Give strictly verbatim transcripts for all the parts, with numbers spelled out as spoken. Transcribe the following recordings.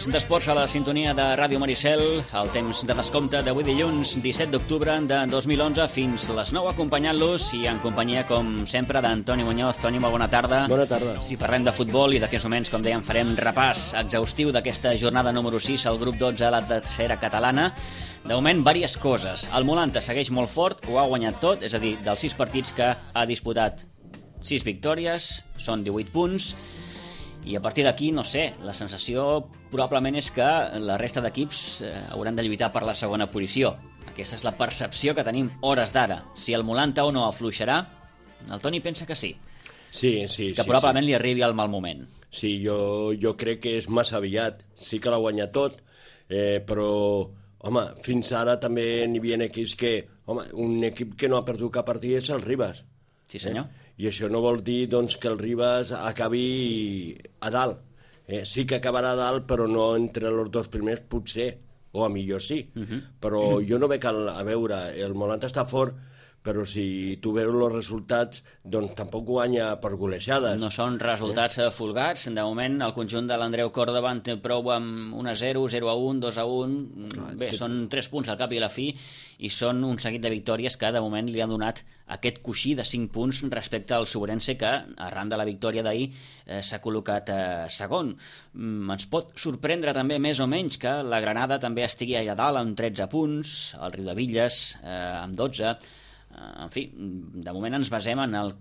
Temps d'esports a la sintonia de Ràdio Maricel, el temps de descompte d'avui dilluns disset d'octubre de dos mil onze fins les nou, acompanyant-los i en companyia, com sempre, d'Antoni Muñoz. Toni, molt bona tarda. Bona tarda. Si parlem de futbol i d'aquests moments, com dèiem, farem repàs exhaustiu d'aquesta jornada número sis al grup dotze a la tercera catalana. De moment, diverses coses. El Molanta segueix molt fort, ho ha guanyat tot, és a dir, dels sis partits que ha disputat, sis victòries, són divuit punts, i a partir d'aquí, no sé, la sensació probablement és que la resta d'equips eh, hauran de lluitar per la segona posició. Aquesta és la percepció que tenim hores d'ara. Si el Molanta o no afluixarà, el Toni pensa que sí. Sí, sí, que sí. probablement sí. li arribi al mal moment. Sí, jo, jo crec que és massa aviat. Sí que l'ha guanyat tot, eh, però, home, fins ara també n'hi havia equips que... Home, un equip que no ha perdut cap partit és el Ribas. Sí, senyor. Eh? I això no vol dir doncs, que el Ribas acabi a dalt. Eh? Sí que acabarà a dalt, però no entre els dos primers, potser, o a millor sí. Uh -huh. Però uh -huh. jo no veig, el, a veure, el Molanta està fort, però si tu veus els resultats, doncs tampoc guanya per golejades. No són resultats eh? folgats. De moment, el conjunt de l'Andreu Córdoba en té prou amb un a zero, zero a un, dos a un... Bé, tot... són tres punts al cap i a la fi, i són un seguit de victòries que de moment li han donat aquest coixí de cinc punts respecte al Sobrense, que arran de la victòria d'ahir eh, s'ha col·locat eh, segon. Mm, ens pot sorprendre també més o menys que la Granada també estigui allà dalt amb tretze punts, el Riudebitlles eh, amb dotze. En fi, de moment ens basem en el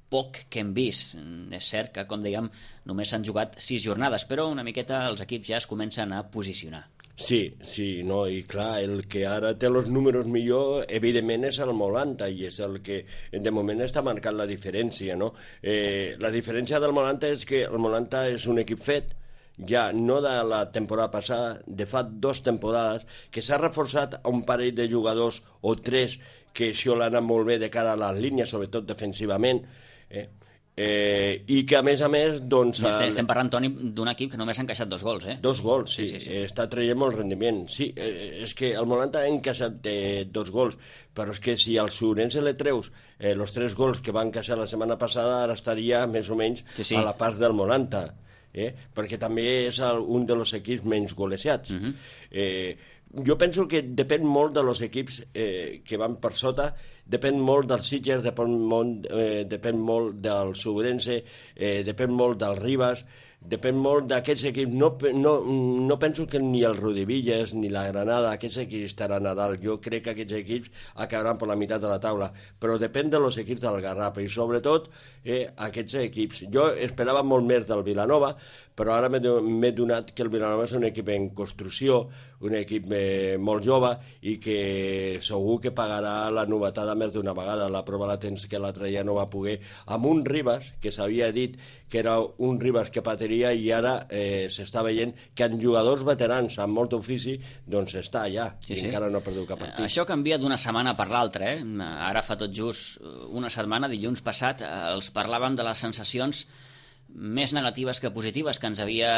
poc que hem vist. És cert que, com dèiem, només s'han jugat sis jornades, però una miqueta els equips ja es comencen a posicionar. Sí, sí, no, i clar, el que ara té els números millor, evidentment, és el Molanta, i és el que de moment està marcant la diferència, no? Eh, la diferència del Molanta és que el Molanta és un equip fet, ja no de la temporada passada, de fa dues temporades, que s'ha reforçat a un parell de jugadors o tres que això l'ha anat molt bé de cara a les línies, sobretot defensivament, eh? Eh, i que a més a més doncs, estem, estem parlant, Toni, d'un equip que només ha encaixat dos gols, eh? Dos gols, sí, sí, sí, sí. Està traient molt rendiment. Sí, eh, és que el Molanta ha encaixat eh, dos gols, però és que si al Sobrense le treus eh, els tres gols que va encaixar la setmana passada, ara estaria més o menys sí, sí. a la part del Molanta, eh? Perquè també és el, un dels equips menys golejats. Uh-huh. eh, jo penso que depèn molt dels equips eh, que van per sota, depèn molt dels Sitges, depèn molt, eh, depèn molt del Sobrense, eh, depèn molt del Ribas, depèn molt d'aquests equips. No, no, no penso que ni el Riudebitlles ni la Granada, aquests equips estaran a dalt. Jo crec que aquests equips acabaran per la meitat de la taula, però depèn dels equips del Garraf i sobretot eh, aquests equips. Jo esperava molt més del Vilanova, però ara m'he donat que el Vilanova és un equip en construcció, un equip eh, molt jove i que segur que pagarà la novetada més d'una vegada. La prova la tens que l'altre dia no va poder, amb un Ribas que s'havia dit que era un Ribas que patiria, i ara eh, s'està veient que en jugadors veterans amb molt ofici doncs està allà, sí, i sí. encara no ha perdut cap partit. Això canvia d'una setmana per l'altra, eh? Ara fa tot just una setmana, dilluns passat, els parlàvem de les sensacions més negatives que positives que ens havia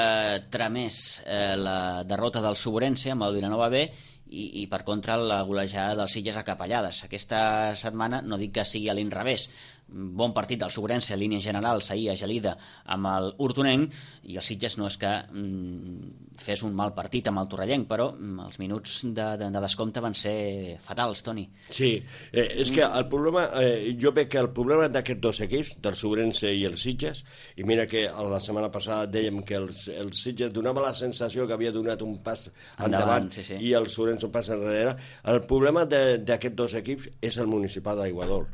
tramès eh, la derrota del Sobrense amb el Vilanova B i, i per contra la golejada dels Sitges a Capellades. Aquesta setmana no dic que sigui a l'inrevés. Bon partit del Sobrense, línia general, ahir a Gelida amb el Hortonenc, i el Sitges no és que mm, fes un mal partit amb el Torrellenc, però mm, els minuts de, de, de descompte van ser fatals, Toni. Sí, eh, és que el problema, eh, jo veig que el problema d'aquests dos equips, del Sobrense i el Sitges, i mira que la setmana passada dèiem que el, el Sitges donava la sensació que havia donat un pas endavant, endavant sí, sí. i el Sobrense un pas enrere. El problema d'aquests dos equips és el municipal d'Aiguadol.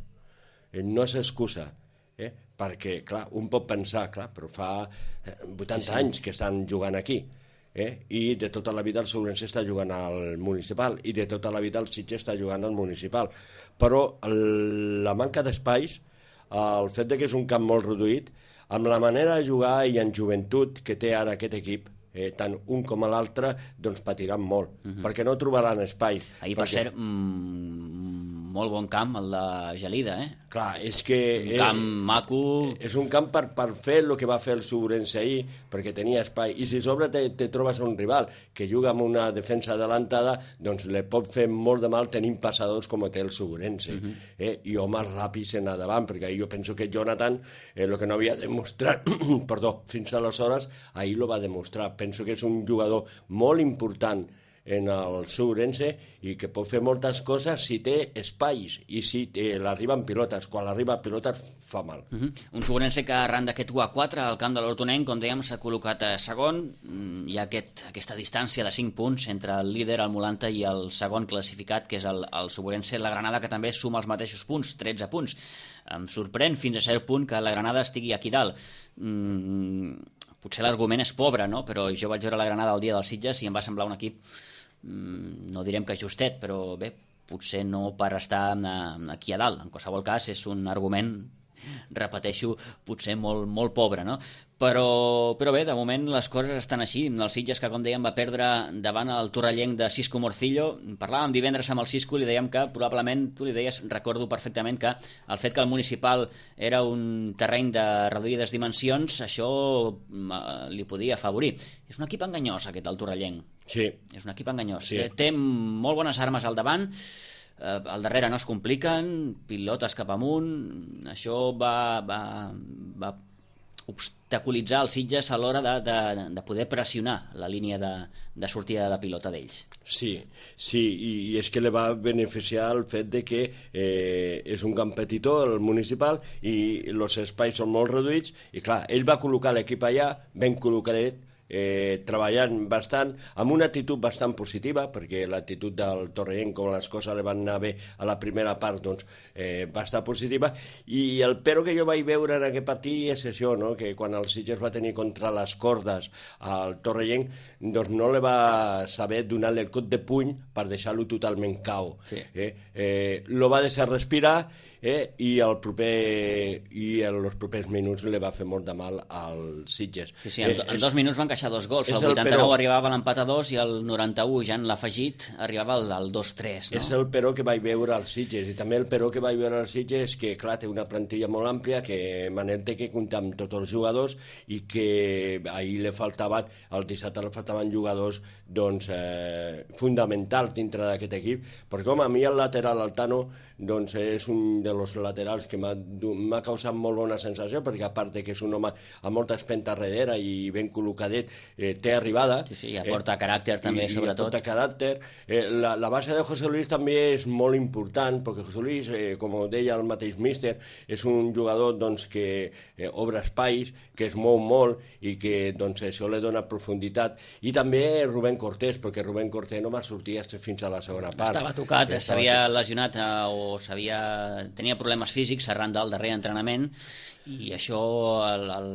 No és excusa, eh? Perquè, clar, un pot pensar, clar, però fa vuitanta sí, sí. anys que estan jugant aquí, eh? I de tota la vida el Sobrense està jugant al municipal, i de tota la vida el Sitges està jugant al municipal. Però el, la manca d'espais, el fet de que és un camp molt reduït, amb la manera de jugar i en joventut que té ara aquest equip, Eh, tant un com l'altre, doncs patiran molt, uh-huh. perquè no trobaran espai. Ahir, per perquè... cert, mmm, molt bon camp, el de Gelida, eh? Clar, és que... Un camp eh, maco... És un camp per, per fer el que va fer el Subrense ahir, perquè tenia espai. I si sobre te, te trobes un rival que juga amb una defensa adelantada, doncs le pot fer molt de mal tenint passadors com té el Subrense. Uh-huh. eh? I homes ràpids en endavant, perquè jo penso que Jonathan, eh, el que no havia demostrat, perdó, fins aleshores, ahir lo va demostrar. Penso que és un jugador molt important en el Subrense i que pot fer moltes coses si té espais i si l'arriba en pilotes. Quan l'arriba en pilotes fa mal. Uh-huh. Un Subrense que arran d'aquest u a quatre al camp de l'Hortonenc, com dèiem, s'ha col·locat a segon. Hi ha aquest, aquesta distància de cinc punts entre el líder, el Molanta, i el segon classificat, que és el, el Subrense, la Granada, que també suma els mateixos punts, tretze punts. Em sorprèn fins a cert punt que la Granada estigui aquí dalt. Mm, potser l'argument és pobre, no? Però jo vaig veure la Granada el dia dels Sitges i em va semblar un equip, no direm que justet, però bé, potser no per estar aquí a dalt. En qualsevol cas, és un argument, repeteixo, potser molt, molt pobre, no? Però, però bé, de moment les coses estan així. El Sitges, que com dèiem va perdre davant el torrellenc de Cisco Morcillo, parlàvem divendres amb el Cisco i li dèiem que probablement, tu li deies, recordo perfectament, que el fet que el Municipal era un terreny de reduïdes dimensions, això li podia afavorir. És un equip enganyós aquest, el torrellenc. Sí. És un equip enganyós. Sí. Té molt bones armes al davant, eh, al darrere no es compliquen, pilotes cap amunt, això va, va, va obstaculitzar els Sitges a l'hora de, de, de poder pressionar la línia de, de sortida de pilota d'ells. Sí, sí, i, i és que li va beneficiar el fet de que eh, és un camp petitó, el Municipal, i els espais són molt reduïts, i clar, ell va col·locar l'equip allà, ben col·locadet, Eh, treballant bastant, amb una actitud bastant positiva, perquè l'actitud del Torrellenc, com les coses li van anar bé a la primera part, doncs eh, va estar positiva, i el però que jo vaig veure en aquest partit és això, no? Que quan el Sitges va tenir contra les cordes al Torrellenc, doncs no li va saber donar-li el cop de puny per deixar-lo totalment cau. Sí. Eh? Eh, lo va deixar respirar, Eh, i el proper i en els propers minuts li va fer molt de mal al Sitges. Sí, sí, en, eh, en dos és, minuts van queixar dos gols, el vuitanta-nou però, arribava l'empat a dos i el noranta-u, ja en l'afegit, arribava al, al dos tres, no? És el però que vaig veure als Sitges, i també el però que vaig veure als Sitges és que, clar, té una plantilla molt àmplia, que Manel té que comptar amb tots els jugadors, i que ahir li faltaven, el dissabte li faltaven jugadors doncs, eh, fonamentals dintre d'aquest equip, perquè home, a mi el lateral Altano doncs és un dels laterals que m'ha causat molt bona sensació, perquè a part de que és un home amb molta espenta darrere i ben col·locadet, eh, té arribada. Sí, sí, i aporta eh, caràcter també, i, sobretot. I aporta caràcter. Eh, la, la base de José Luis també és molt important, perquè José Luis, eh, com deia el mateix míster, és un jugador doncs, que eh, obre espais, que es mou molt i que doncs, això li dona profunditat. I també Rubén Cortés, perquè Rubén Cortés no va sortir fins a la segona part. Estava tocat, s'havia lesionat eh, o s'havia... tenia problemes físics arran del darrer entrenament, i això el, el,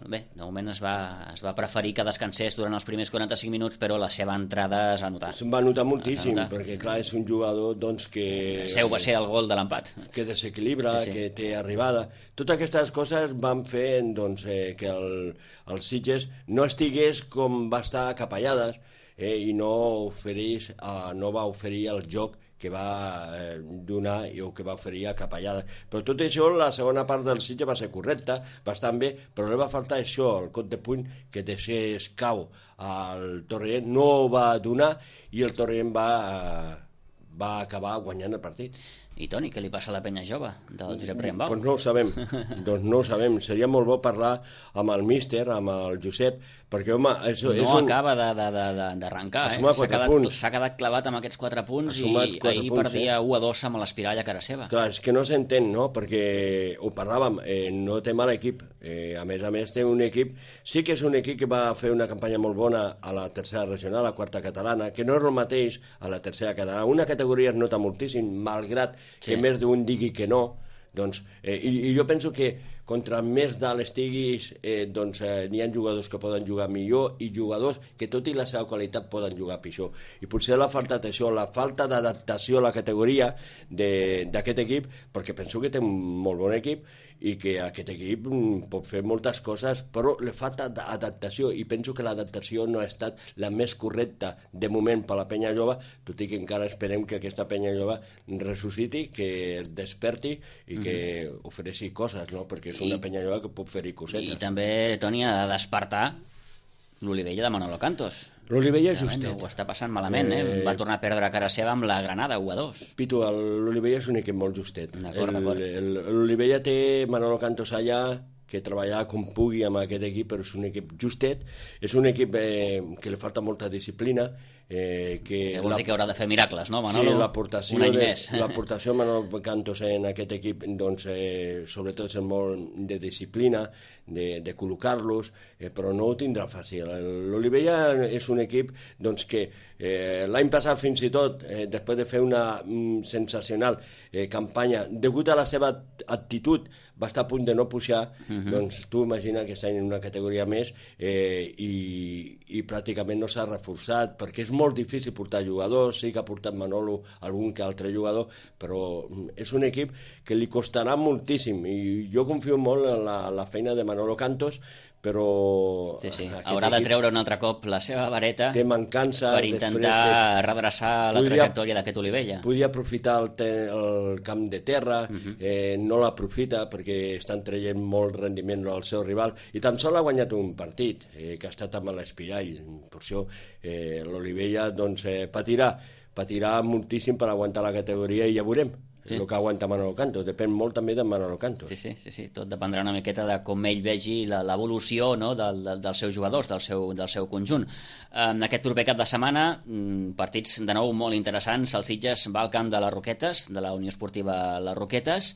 bé, de moment es va, es va preferir que descansés durant els primers quaranta-cinc minuts, però la seva entrada es va notar. Es va notar moltíssim, notar. Perquè clar, és un jugador doncs, que... El seu va ser el gol de l'empat. Que desequilibra, sí, sí. Que té arribada. Totes aquestes coses van fer doncs, eh, que el, el Sitges no estigués com va estar a Capellades, eh, i no, oferís, eh, no va oferir el joc que va eh, donar i o que va oferir a Capellades. Però tot això, la segona part del Sitges va ser correcta, bastant bé, però li va faltar això, el cop de puny, que deixés cau al Torrent, no ho va donar, i el Torrent va, eh, va acabar guanyant el partit. I Toni, què li passa a la penya jove del Josep Riambau? Doncs no ho sabem, doncs no ho sabem. Seria molt bo parlar amb el míster, amb el Josep, perquè, home... És, no és un... acaba d'arrencar, eh? S'ha quedat, quedat clavat amb aquests quatre punts i ahir punts, perdia eh? u a dos amb l'Espirall a cara seva. Clar, és que no s'entén, no? Perquè ho parlàvem, eh, no té mal equip. Eh, a més a més, té un equip... Sí que és un equip que va fer una campanya molt bona a la tercera regional, a la quarta catalana, que no és el mateix a la tercera catalana. Una categoria es nota moltíssim, malgrat sí. que més d'un digui que no, doncs, eh, i, i jo penso que contra més dalt estiguis, eh, doncs eh, n'hi ha jugadors que poden jugar millor i jugadors que tot i la seva qualitat poden jugar pitjor. I potser la falta d'això, la falta d'adaptació a la categoria d'aquest equip, perquè penso que té un molt bon equip i que aquest equip pot fer moltes coses, però li falta adaptació i penso que l'adaptació no ha estat la més correcta de moment per la penya jove, tot i que encara esperem que aquesta penya jove ressusciti, que es desperti i que mm-hmm. ofereixi coses, no? Perquè és una I, penya jove que pot fer-hi cosetes. I també, Toni, ha de despertar l'Olivella de Manolo Cantos. L'Olivella és justet. Ho està passant malament, eh? eh? Va tornar a perdre a cara seva amb la Granada, u a dos. Pitu, l'Olivella és un equip molt justet. L'Olivella té Manolo Cantos allà, que treballa com pugui amb aquest equip, però és un equip justet, és un equip eh, que li falta molta disciplina, eh, que... Vol la... dir que haurà de fer miracles, no, Manolo? Sí, l'aportació un any de, més. L'aportació de Manolo Cantos en aquest equip, doncs, eh, sobretot és molt de disciplina, de, de col·locar-los, eh, però no ho tindrà fàcil. L'Olivella és un equip doncs, que eh, l'any passat fins i tot, eh, després de fer una mm, sensacional eh, campanya, degut a la seva actitud, va estar a punt de no pujar, uh-huh. doncs tu imagina que està en una categoria més eh, i, i pràcticament no s'ha reforçat, perquè és molt difícil portar jugadors, sí que ha portat Manolo algun que altre jugador, però és un equip que li costarà moltíssim i jo confio molt en la, la feina de Manolo Cantos, però... Sí, sí. Haurà de treure un altre cop la seva vareta té mancança, per intentar que redreçar la podria, trajectòria d'aquest Olivella. Podria aprofitar el, te, el camp de terra, uh-huh. eh, no l'aprofita perquè estan traient molt rendiment al seu rival i tan sol ha guanyat un partit eh, que ha estat amb l'Espirall. Per això eh, l'Olivella doncs, eh, patirà, patirà moltíssim per aguantar la categoria i ja veurem. Sí. El que aguanta Manolo Cantos, depèn molt també de Manolo Cantos. Sí, sí, sí, sí. Tot dependrà una miqueta de com ell vegi l'evolució, no, del, del, dels seus jugadors, del seu, del seu conjunt. En aquest proper cap de setmana, partits de nou molt interessants. El Sitges va al camp de les Roquetes, de la Unió Esportiva Les Roquetes,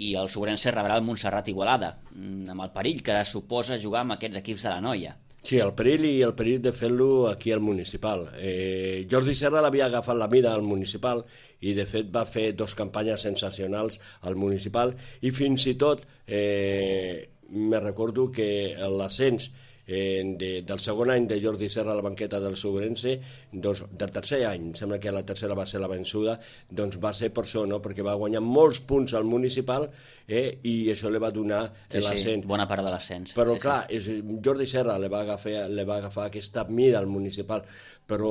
i el Sobrense rebrà el Montserrat Igualada, amb el perill que suposa jugar amb aquests equips de la Noia. Sí, el perill i el perill de fer-lo aquí al municipal. Eh, Jordi Serra l'havia agafat la mida al municipal i de fet va fer dos campanyes sensacionals al municipal i fins i tot eh, me recordo que l'ascens eh, de, del segon any de Jordi Serra a la banqueta del Sobrense, doncs, del tercer any, sembla que la tercera va ser la vençuda, doncs va ser per això, no? Perquè va guanyar molts punts al municipal eh, i això li va donar sí, l'ascens. Sí, bona part de l'ascens. Però sí, clar, sí. És, Jordi Serra li va, agafar, li va agafar aquesta mida al municipal, però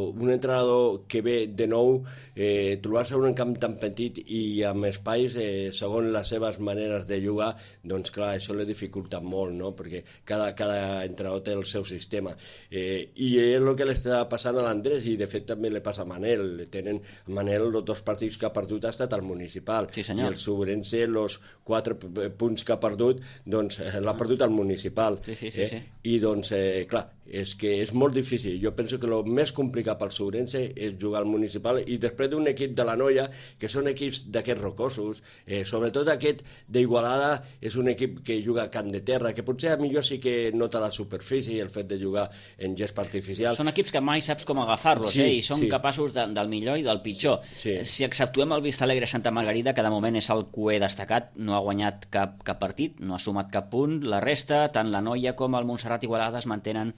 un entrenador que ve de nou, eh, trobar-se en un camp tan petit i amb espais, eh, segons les seves maneres de jugar, doncs clar, això li dificulta molt, no? Perquè cada, cada entrenador té el seu sistema. Eh, I és el que li està passant a l'Andrés i de fet també li passa a Manel. Tenen a Manel els dos partits que ha perdut ha estat al municipal. Sí, i el Sobrense, els quatre punts que ha perdut, doncs eh, l'ha perdut al municipal. Sí, sí, sí, eh? sí. I doncs, eh, clar, és que és molt difícil. Jo penso que el més complicat pel Sobrense és jugar al municipal i després d'un equip de la Noia, que són equips d'aquests rocosos, eh, sobretot aquest d'Igualada és un equip que juga a camp de terra, que potser a millor sí que nota la superfície i el fet de jugar en gest artificial. Són equips que mai saps com agafar-los, sí, eh? I són sí. capaços de, del millor i del pitjor. Sí. Si exceptuem el Vista Alegre Santa Margarida, que de moment és el cuer destacat, no ha guanyat cap, cap partit, no ha sumat cap punt, la resta, tant la Noia com el Montserrat Igualada es mantenen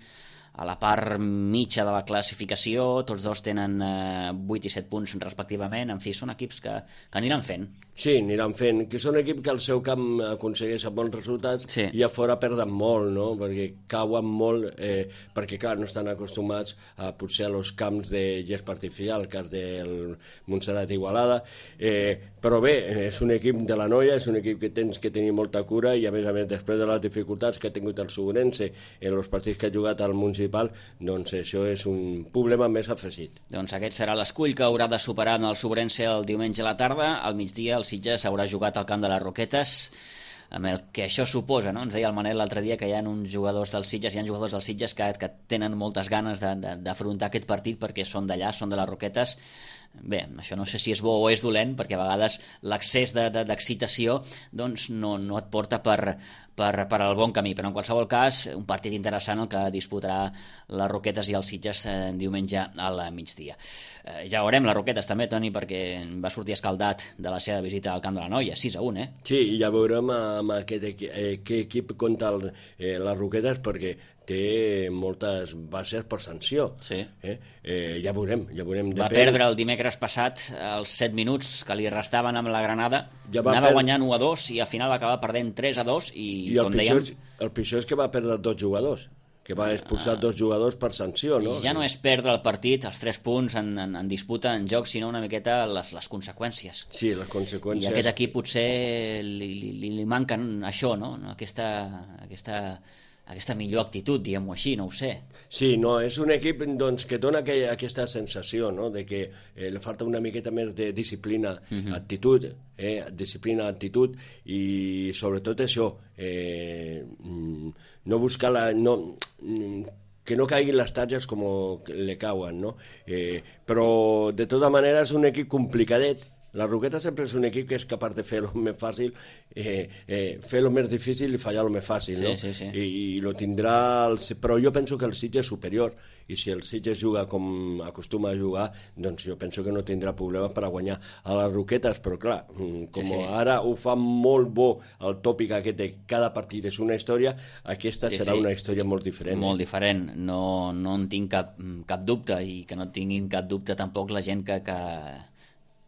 a la part mitja de la classificació, tots dos tenen eh, vuit i set punts respectivament, en fi, són equips que, que aniran fent. Sí, aniran fent, que són equips que al seu camp aconsegueixen bons resultats sí. i a fora perden molt, no? Perquè cauen molt, eh, perquè clar, no estan acostumats a potser a los camps de gespa artificial, el cas del Montserrat Igualada, eh, però bé, és un equip de la Noia, és un equip que tens que tenir molta cura i a més a més després de les dificultats que ha tingut el Sobrense en els partits que ha jugat al municipal, doncs això és un problema més afegit. Doncs aquest serà l'escull que haurà de superar amb el Sobrense el diumenge a la tarda, al migdia el Sitges haurà jugat al camp de les Roquetes, amb el que això suposa, no? Ens deia el Manel l'altre dia que hi ha uns jugadors del Sitges, hi ha jugadors del Sitges que, que tenen moltes ganes d'afrontar aquest partit perquè són d'allà, són de les Roquetes. Bé, això no sé si és bo o és dolent, perquè a vegades l'excés d'excitació doncs no, no et porta per, per, per al bon camí, però en qualsevol cas un partit interessant el que disputarà les Roquetes i els Sitges eh, diumenge al migdia. Eh, ja veurem les Roquetes també, Toni, perquè va sortir escaldat de la seva visita al Camp de la Noia, sis a un, eh? Sí, i ja veurem amb aquest equip, eh, què equip compta el, eh, les Roquetes, perquè té moltes bases per sanció. Sí. Eh? Eh, ja veurem, ja veurem. Va Depèn... perdre el dimecres passat els set minuts que li restaven amb la Granada, ja anava per... guanyant u a dos i al final acaba perdent tres a dos i, I el com pitjor, dèiem... el pitjor és que va perdre dos jugadors, que va expulsar ah. dos jugadors per sanció, no? Ja no és perdre el partit, els tres punts en, en, en disputa, en joc, sinó una miqueta les, les conseqüències. Sí, les conseqüències. I a aquest equip potser li, li, li manquen això, no? Aquesta... aquesta aquesta millor actitud, diguem-ho així, no ho sé. Sí, no, és un equip doncs, que dona aquella, aquesta sensació, no?, de que eh, li falta una miqueta més de disciplina, uh-huh. actitud, eh, disciplina, actitud, i sobretot això, eh, no buscar la... No, que no caiguin les tatges com le cauen, no? Eh, però, de tota manera, és un equip complicadet. La Roqueta sempre és un equip que és capaç de fer el més fàcil, eh, eh, fer el més difícil i fallar el més fàcil, sí, no? Sí, sí. I, i lo tindrà... El, però jo penso que el Sitges és superior, i si el Sitges juga com acostuma a jugar, doncs jo penso que no tindrà problemes per a guanyar a les Roquetes, però clar, com sí, sí. ara ho fa molt bo el tòpic aquest de cada partit és una història, aquesta sí, serà sí. una història molt diferent. Molt eh? diferent, no, no en tinc cap, cap dubte, i que no tinguin cap dubte tampoc la gent que... que...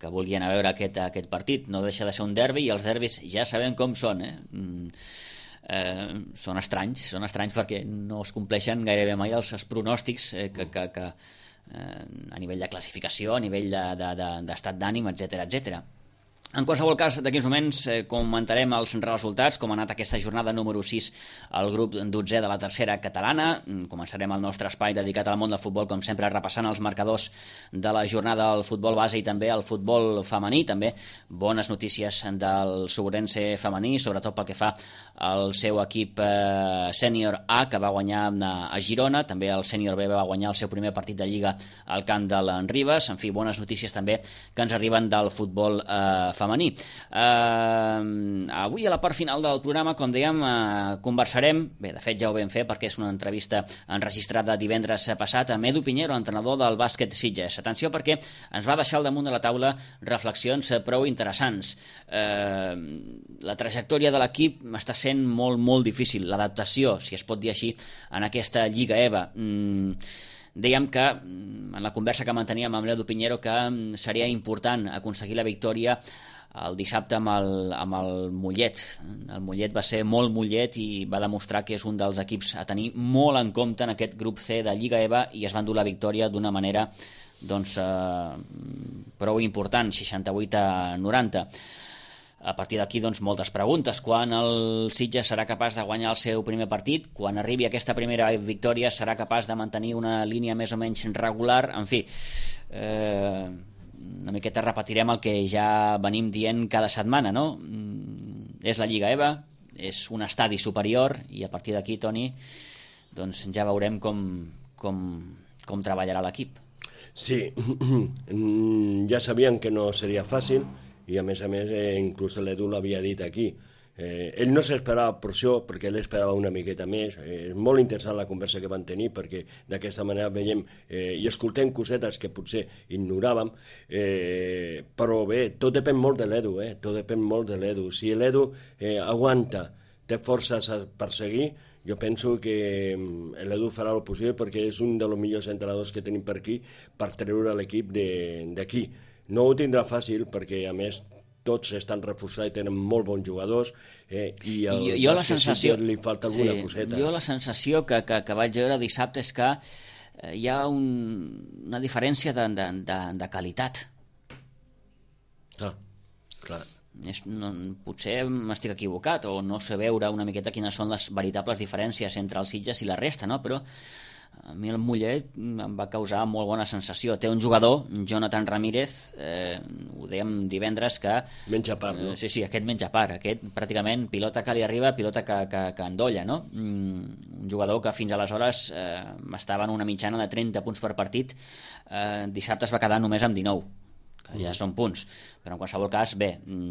que volien a veure aquest, aquest partit. No deixa de ser un derbi, i els derbis ja sabem com són, eh? Mm, eh, són estranys, són estranys perquè no es compleixen gairebé mai els, els pronòstics eh, que, que, que eh, a nivell de classificació, a nivell de, de, de, d'estat d'ànim, etcètera, etcètera. En qualsevol cas, d'aquí uns moments eh, comentarem els resultats, com ha anat aquesta jornada número sis al grup dotzè de la tercera catalana. Començarem el nostre espai dedicat al món del futbol, com sempre, repassant els marcadors de la jornada al futbol base i també al futbol femení. També bones notícies del Sobrense femení, sobretot pel que fa al seu equip eh, sènior A, que va guanyar a Girona. També el sènior B va guanyar el seu primer partit de Lliga al camp de l'Enribes. En fi, bones notícies també que ens arriben del futbol eh, femení. Eh, avui a la part final del programa, com dèiem, eh, conversarem, bé, de fet ja ho vam fer perquè és una entrevista enregistrada divendres passat, amb Edu Piñero, entrenador del bàsquet Sitges. Atenció, perquè ens va deixar al damunt de la taula reflexions prou interessants. Eh, la trajectòria de l'equip està sent molt, molt difícil. L'adaptació, si es pot dir així, en aquesta Lliga EVA. Mm, dèiem que, en la conversa que manteníem amb l'Edu Piñero, que seria important aconseguir la victòria el dissabte amb el, amb el Mollet. El Mollet va ser molt Mollet i va demostrar que és un dels equips a tenir molt en compte en aquest grup C de Lliga EVA, i es van dur la victòria d'una manera doncs, eh, prou important, seixanta-vuit a noranta. A partir d'aquí, doncs, moltes preguntes. Quan el Sitges serà capaç de guanyar el seu primer partit? Quan arribi aquesta primera victòria serà capaç de mantenir una línia més o menys regular? En fi, eh, una miqueta repetirem el que ja venim dient cada setmana, no? És la Lliga EVA, és un estadi superior, i a partir d'aquí, Toni, doncs ja veurem com, com, com treballarà l'equip. Sí, ja sabien que no seria fàcil, i a més a més eh, inclús l'Edu l'havia dit aquí. Eh, ell no s'esperava per això, perquè ell esperava una miqueta més. Eh, és molt interessant la conversa que van tenir, perquè d'aquesta manera veiem eh, i escoltem cosetes que potser ignoràvem, eh, però bé, tot depèn molt de l'Edu, eh? tot depèn molt de l'Edu. Si l'Edu eh, aguanta, té forces per seguir, jo penso que l'Edu farà el possible, perquè és un dels millors entrenadors que tenim per aquí per treure l'equip d'aquí. No ho tindrà fàcil, perquè a més tots estan reforçats i tenen molt bons jugadors, eh, i al jo, jo la sensació, li falta alguna sí, coseta. Jo la sensació que, que, que vaig veure dissabte és que eh, hi ha un, una diferència de, de, de, de qualitat. Ah, clar. És, no, potser m'estic equivocat o no sé veure una miqueta quines són les veritables diferències entre els Sitges i la resta, no? Però a mi el Mollet em va causar molt bona sensació. Té un jugador, Jonathan Ramírez, eh, ho dèiem divendres, que... Menja part, no? Eh, sí, sí, aquest menja part. Aquest pràcticament pilota que li arriba, pilota que, que, que endolla, no? Mm, un jugador que fins aleshores eh, estava en una mitjana de trenta punts per partit. Eh, dissabte es va quedar només amb dinou. que ja són punts, però en qualsevol cas, bé,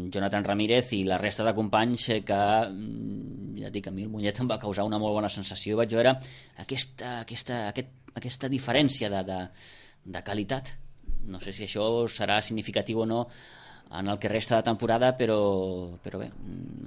Jonathan Ramírez i la resta de companys que, ja dic, a mi el Mollet em va causar una molt bona sensació, vaig veure aquesta, aquesta, aquest, aquesta diferència de, de, de qualitat. No sé si això serà significatiu o no en el que resta de temporada, però, però bé,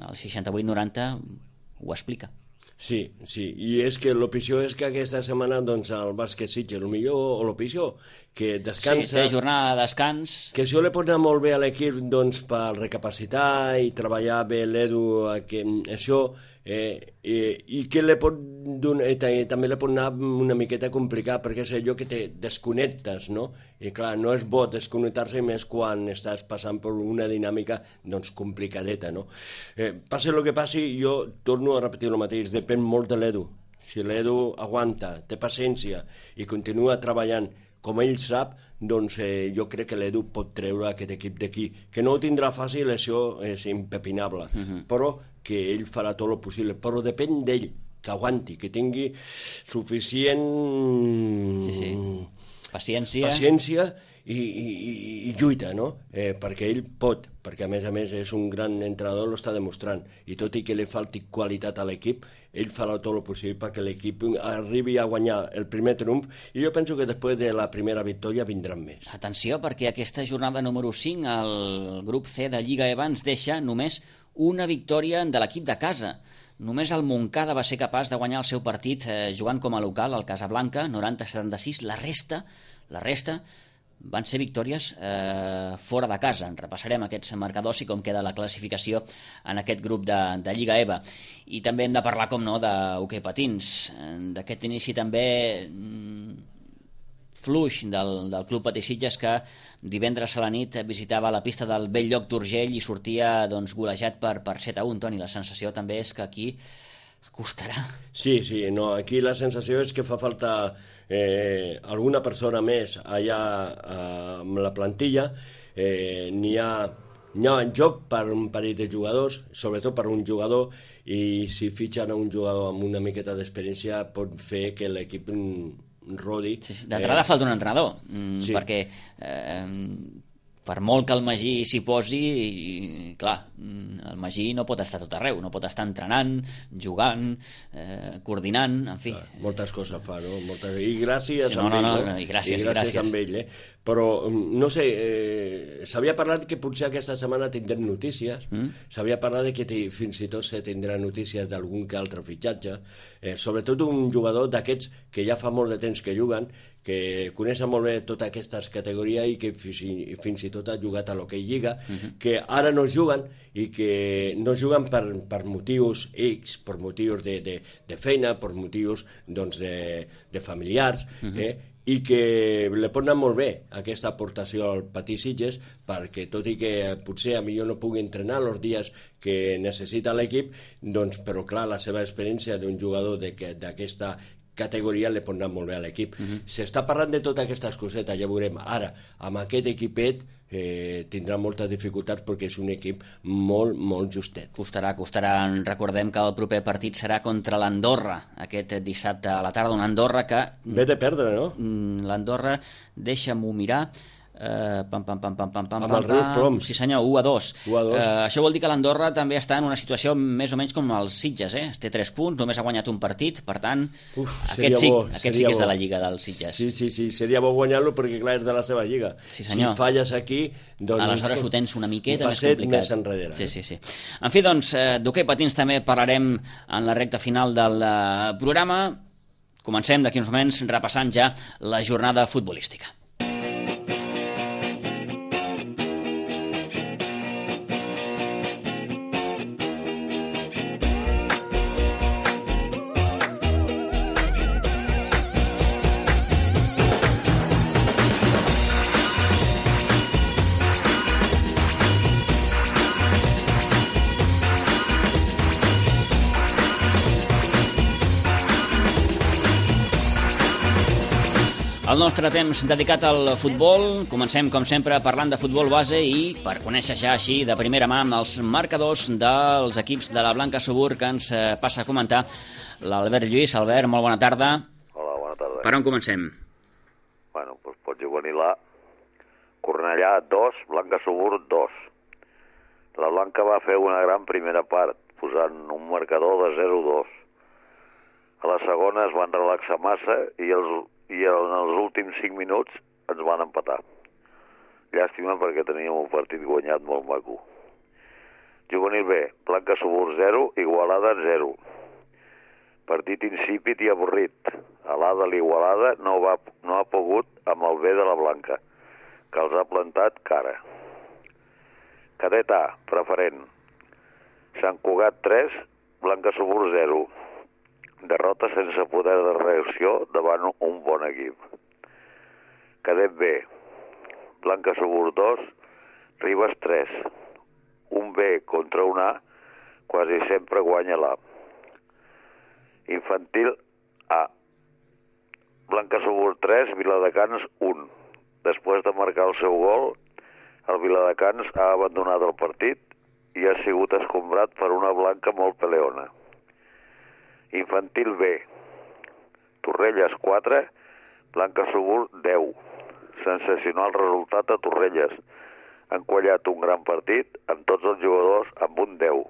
el seixanta-vuit noranta ho explica. Sí, sí, i és que el pitjor és que aquesta setmana doncs, el bàsquet Sitges, el millor o el pitjor, que descansa... Sí, té jornada de descans. Que això li pot anar molt bé a l'equip doncs, per recapacitar i treballar bé l'Edu, que, això, eh, eh, i que li pot donar, eh, també li pot anar una miqueta complicat, perquè és allò que te desconnectes, no? I clar, no és bo desconnectar-se més quan estàs passant per una dinàmica doncs, complicadeta, no? Eh, passi el que passi, jo torno a repetir el mateix, depèn molt de l'Edu. Si l'Edu aguanta, té paciència i continua treballant com ell sap, doncs eh, jo crec que l'Edu pot treure aquest equip d'aquí. Que no ho tindrà fàcil, això és impepinable, uh-huh. però que ell farà tot el possible. Però depèn d'ell, que aguanti, que tingui suficient... Sí, sí. Paciència. Paciència i, i, i lluita, no? Eh, perquè ell pot, perquè a més a més és un gran entrenador, l'està demostrant, i tot i que li falti qualitat a l'equip, ell farà tot el possible perquè l'equip arribi a guanyar el primer triomf, i jo penso que després de la primera victòria vindran més. Atenció, perquè aquesta jornada número cinc, el grup C de Lliga E V A ens deixa només una victòria de l'equip de casa. Només el Montcada va ser capaç de guanyar el seu partit eh, jugant com a local al Casablanca, noranta a setanta-sis. La resta, la resta van ser victòries eh, fora de casa. En repassarem aquests marcadors i com queda la classificació en aquest grup de, de Lliga E V A. I també hem de parlar, com no, d'hoquei patins. D'aquest inici també mm, fluix del, del Club Patí Sitges, que divendres a la nit visitava la pista del Bell-lloc d'Urgell i sortia doncs, golejat per, per set a un. Toni, la sensació també és que aquí costarà. Sí, sí, no, aquí la sensació és que fa falta eh, alguna persona més allà eh, amb la plantilla. Eh, n'hi ha, n'hi ha en joc per un parell de jugadors, sobretot per un jugador, i si fitxen a un jugador amb una miqueta d'experiència pot fer que l'equip rodi. Sí, sí. D'entrada eh... falta un entrenador, mm, sí. perquè eh, per molt que el Magí s'hi posi, i, clar, el Magí no pot estar tot arreu, no pot estar entrenant, jugant, eh, coordinant, en fi. Clar, moltes coses fa, no? Moltes... I gràcies sí, no, amb no, ell, no, no? no, i gràcies, i gràcies, gràcies. amb ell, eh? Però, no sé, eh, s'havia parlat que potser aquesta setmana tindrem notícies, mm? s'havia parlat de que fins i tot se tindrà notícies d'algun que altre fitxatge, eh, sobretot un jugador d'aquests que ja fa molt de temps que juguen, que coneixen molt bé totes aquestes categories i que fins i, fins i tot ha jugat a l'hoquei Lliga, uh-huh. que ara no juguen i que no juguen per, per motius X, per motius de, de, de feina, per motius doncs, de, de familiars, uh-huh. eh? i que li pot anar molt bé aquesta aportació al Patí Sitges, perquè tot i que potser a millor no pugui entrenar els dies que necessita l'equip, doncs, però clar, la seva experiència d'un jugador d'aquesta categoria li pot anar molt bé a l'equip. Uh-huh. S'està parlant de totes aquestes cosetes, ja veurem. Ara, amb aquest equipet eh, tindrà moltes dificultats perquè és un equip molt, molt justet. Costarà, costarà. Recordem que el proper partit serà contra l'Andorra, aquest dissabte a la tarda, una Andorra que... Ve de perdre, no? L'Andorra, deixa'm-ho mirar... Uh, pam, pam, pam, pam, pam, pam, amb el Rius Ploms. Sí senyor, u a dos. Uh, això vol dir que l'Andorra també està en una situació més o menys com els Sitges, eh? Té tres punts, només ha guanyat un partit, per tant Uf, aquest sí, bo, aquest sí que és de la Lliga dels Sitges. Sí, sí, sí, seria bo guanyar-lo perquè clar és de la seva Lliga. Sí, senyor. Si falles aquí, doncs... Aleshores ho tens una miqueta un més complicat. Més enrere. Sí, sí, sí. En fi, doncs, d'hoquei patins també parlarem en la recta final del programa. Comencem d'aquí uns moments repassant ja la jornada futbolística. El nostre temps dedicat al futbol, comencem com sempre parlant de futbol base i per conèixer ja així de primera mà els marcadors dels equips de la Blanca Subur que ens passa a comentar l'Albert Lluís. Albert, molt bona tarda. Hola, bona tarda. Per on comencem? Bueno, doncs pots juvenil A, Cornellà, dos, Blanca Subur, dos. La Blanca va fer una gran primera part, posant un marcador de zero a dos. A la segona es van relaxar massa i, els, i en els últims cinc minuts ens van empatar. Llàstima perquè teníem un partit guanyat molt maco. Juvenil B, Blanca Subur zero, Igualada zero. Partit insípid i avorrit. A l'A de l'Igualada no, va, no ha pogut amb el B de la Blanca, que els ha plantat cara. Cadet A, preferent. Sant Cugat tres, Blanca Subur zero. Derrota sense poder de reacció davant un bon equip. Cadet B, Blanca Subur dos, Ribes tres. Un B contra un A, quasi sempre guanya l'A. Infantil A, Blanca Subur tres, Viladecans un. Després de marcar el seu gol, el Viladecans ha abandonat el partit i ha sigut escombrat per una Blanca molt peleona. Infantil B, Torrelles quatre, Blanca Subur deu. Sensacional resultat a Torrelles. Han quallat un gran partit amb tots els jugadors amb un deu.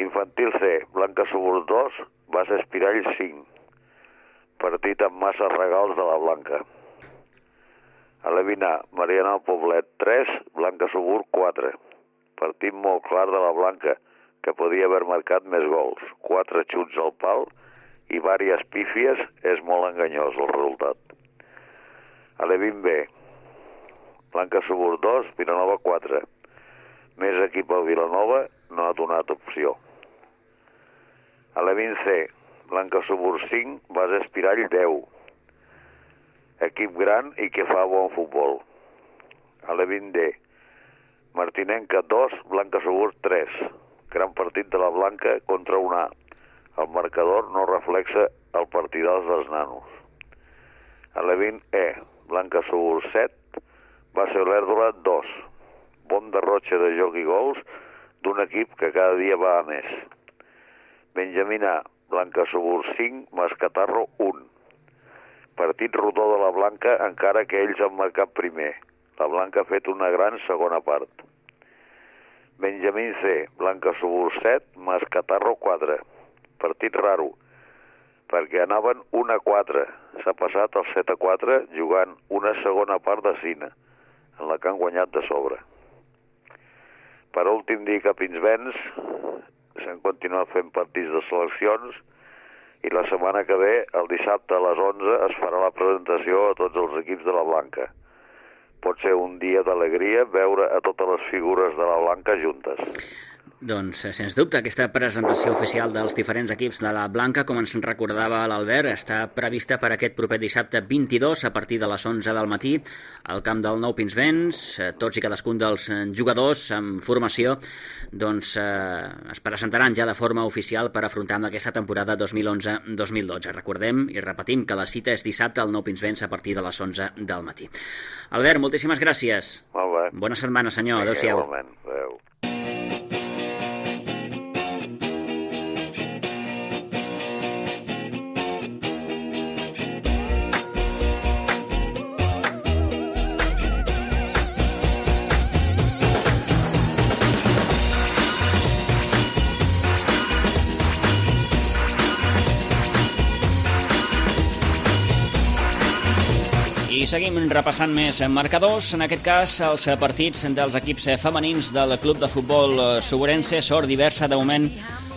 Infantil C, Blanca Subur dos, Base Espirall cinc. Partit amb massa regals de la Blanca. Alevina, Mariana Poblet tres, Blanca Subur quatre. Partit molt clar de la Blanca, que podia haver marcat més gols. Quatre xuts al pal i vàries pífies, és molt enganyós el resultat. Alevin B, Blanca Subur dos, Vilanova quatre. Més equip al Vilanova no ha donat opció. Alevin C, Blanca Subur cinc, Base Espirall deu. Equip gran i que fa bon futbol. Alevin D, Martinenca dos, Blanca Subur tres. Gran partit de la Blanca contra un A. El marcador no reflexa el partidàs dels nanos. Alevin E, Blanca Subur set, Base Olèrdola dos. Bon derrotxe de joc i gols d'un equip que cada dia va a més. Benjamina, Blanca Subur cinc, Mascatarro un. Partit rodó de la Blanca encara que ells han marcat primer. La Blanca ha fet una gran segona part. Benjamín C, Blanca Subur set, Mascatarro quatre. Partit raro, perquè anaven un a quatre. S'ha passat el set a quatre jugant una segona part de cine, en la que han guanyat de sobre. Per últim dir que Pinsbens s'han continuat fent partits de seleccions i la setmana que ve, el dissabte a les onze, es farà la presentació a tots els equips de la Blanca. Pot ser un dia d'alegria veure a totes les figures de la Blanca juntes. Doncs, sens dubte, aquesta presentació oficial dels diferents equips de la Blanca, com ens recordava l'Albert, està prevista per aquest proper dissabte vint-i-dos a partir de les onze del matí al camp del Nou Pinsbens. Tots i cadascun dels jugadors en formació doncs, eh, es presentaran ja de forma oficial per afrontar aquesta temporada dos mil onze dos mil dotze. Recordem i repetim que la cita és dissabte al Nou Pinsbens a partir de les onze del matí. Albert, moltíssimes gràcies. Molt bé. Bona setmana, senyor. Adéu-siau. Adéu. I seguim repassant més marcadors, en aquest cas els partits dels equips femenins del Club de Futbol Suburense. Sort diversa, de moment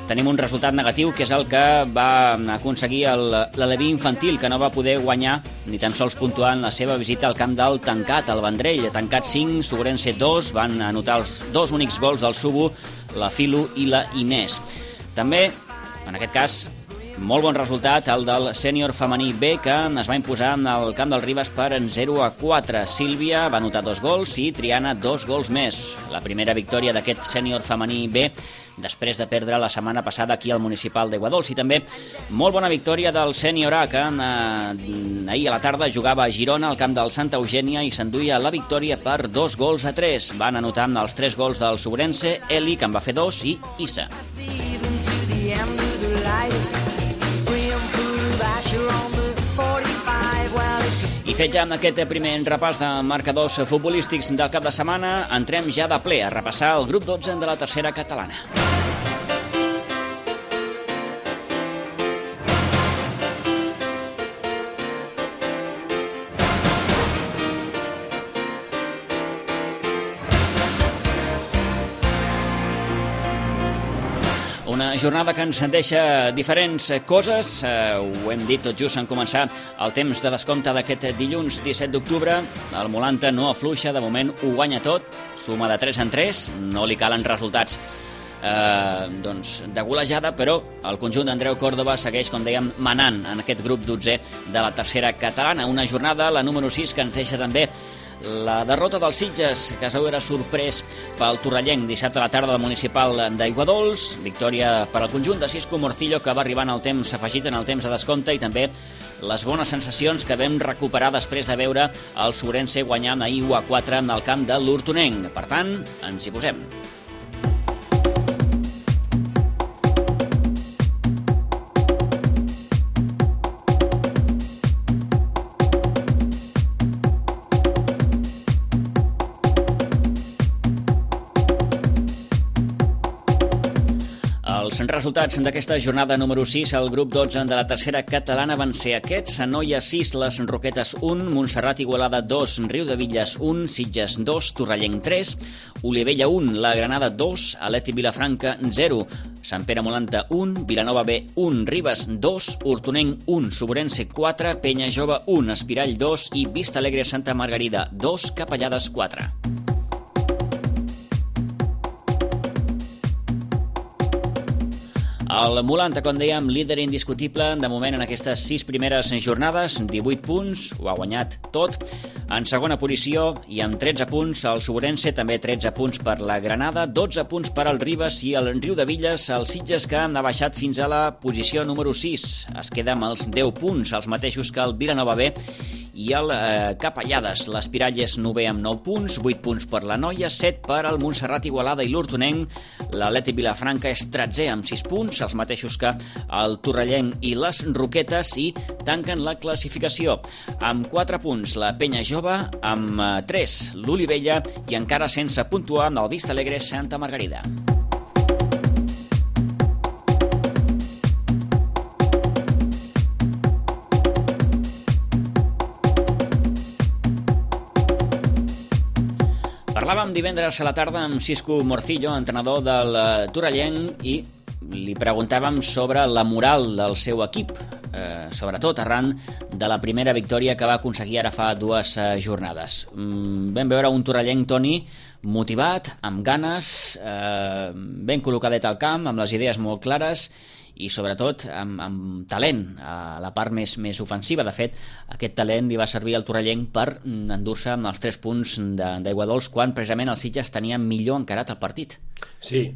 tenim un resultat negatiu, que és el que va aconseguir l'Aleví infantil, que no va poder guanyar ni tan sols puntuar en la seva visita al camp del Tancat, al Vendrell. Tancat cinc, Suburense dos, van anotar els dos únics gols del Subu, la Filu i la Inés. També, en aquest cas, molt bon resultat el del sènior femení B, que es va imposar en el camp del Ribes per zero a quatre. Sílvia va anotar dos gols i Triana dos gols més. La primera victòria d'aquest sènior femení B després de perdre la setmana passada aquí al municipal d'Aiguadols. I també molt bona victòria del sènior A, que eh, ahir a la tarda jugava a Girona al camp del Santa Eugènia i s'enduia la victòria per dos gols a tres. Van anotar amb els tres gols del Suburense, Eli, que en va fer dos, i Issa. I fet ja amb aquest primer repàs de marcadors futbolístics del cap de setmana, entrem ja de ple a repassar el grup dotze de la tercera catalana. Una jornada que ens deixa diferents coses. Eh, ho hem dit tot just en començar el temps de descompte d'aquest dilluns disset d'octubre. El Molanta no afluixa, de moment ho guanya tot, suma de tres en tres, no li calen resultats eh, doncs, de golejada, però el conjunt d'Andreu Córdoba segueix, com dèiem, manant en aquest grup dotzè de la tercera catalana. Una jornada, la número sis, que ens deixa també la derrota dels Sitges, que es veu era sorprès pel Torrellenc dissabte a la tarda del municipal d'Aiguadols. Victòria per al conjunt de Cisco Morcillo, que va arribar en el temps afegit, en el temps de descompte, i també les bones sensacions que vam recuperar després de veure el Sobrense guanyar ahir u a quatre en el camp de l'Hortonenc. Per tant, ens hi posem. Els resultats d'aquesta jornada número sis al grup dotze de la tercera catalana van ser aquests: Anoia sis, Les Roquetes un, Montserrat Igualada dos, Riudebitlles un, Sitges dos, Torrellenc tres, Olivella un, La Granada dos, Aleti Vilafranca zero, Sant Pere Molanta un, Vilanova B un, Ribes dos, Hortonenc un, Sobrense quatre, Penya Jove un, Espirall dos i Vista Alegre Santa Margarida dos, Capellades quatre. El Molanta, com dèiem, líder indiscutible de moment en aquestes sis primeres jornades, divuit punts, ho ha guanyat tot. En segona posició i amb tretze punts el Sobrense, també tretze punts per la Granada, dotze punts per al Ribes i el Riudebitlles, els Sitges, que han baixat fins a la posició número sis. Es queda amb els deu punts, els mateixos que el Vilanova B i el eh, Capellades. L'Espirall és novè amb nou punts, vuit punts per la Noia, set per al Montserrat Igualada i l'Hortonenc. L'Atleti Vilafranca és tretzè amb sis punts, els mateixos que el Torrellenc i les Roquetes, i tanquen la classificació amb quatre punts la Penya Jove, amb tres l'Olivella i encara sense puntuar amb el Vista Alegre Santa Margarida. Parlàvem divendres a la tarda amb Cisco Morcillo, entrenador del Torrellenc, i li preguntàvem sobre la moral del seu equip, eh, sobretot arran de la primera victòria que va aconseguir ara fa dues eh, jornades. Mm, vam veure un Torrellenc, Toni, motivat, amb ganes, eh, ben col·locadet al camp, amb les idees molt clares i sobretot amb, amb talent a la part més, més ofensiva. De fet, aquest talent li va servir al Torrellenc per endur-se amb els tres punts d'Aiguadols quan precisament els Sitges tenien millor encarat el partit. Sí,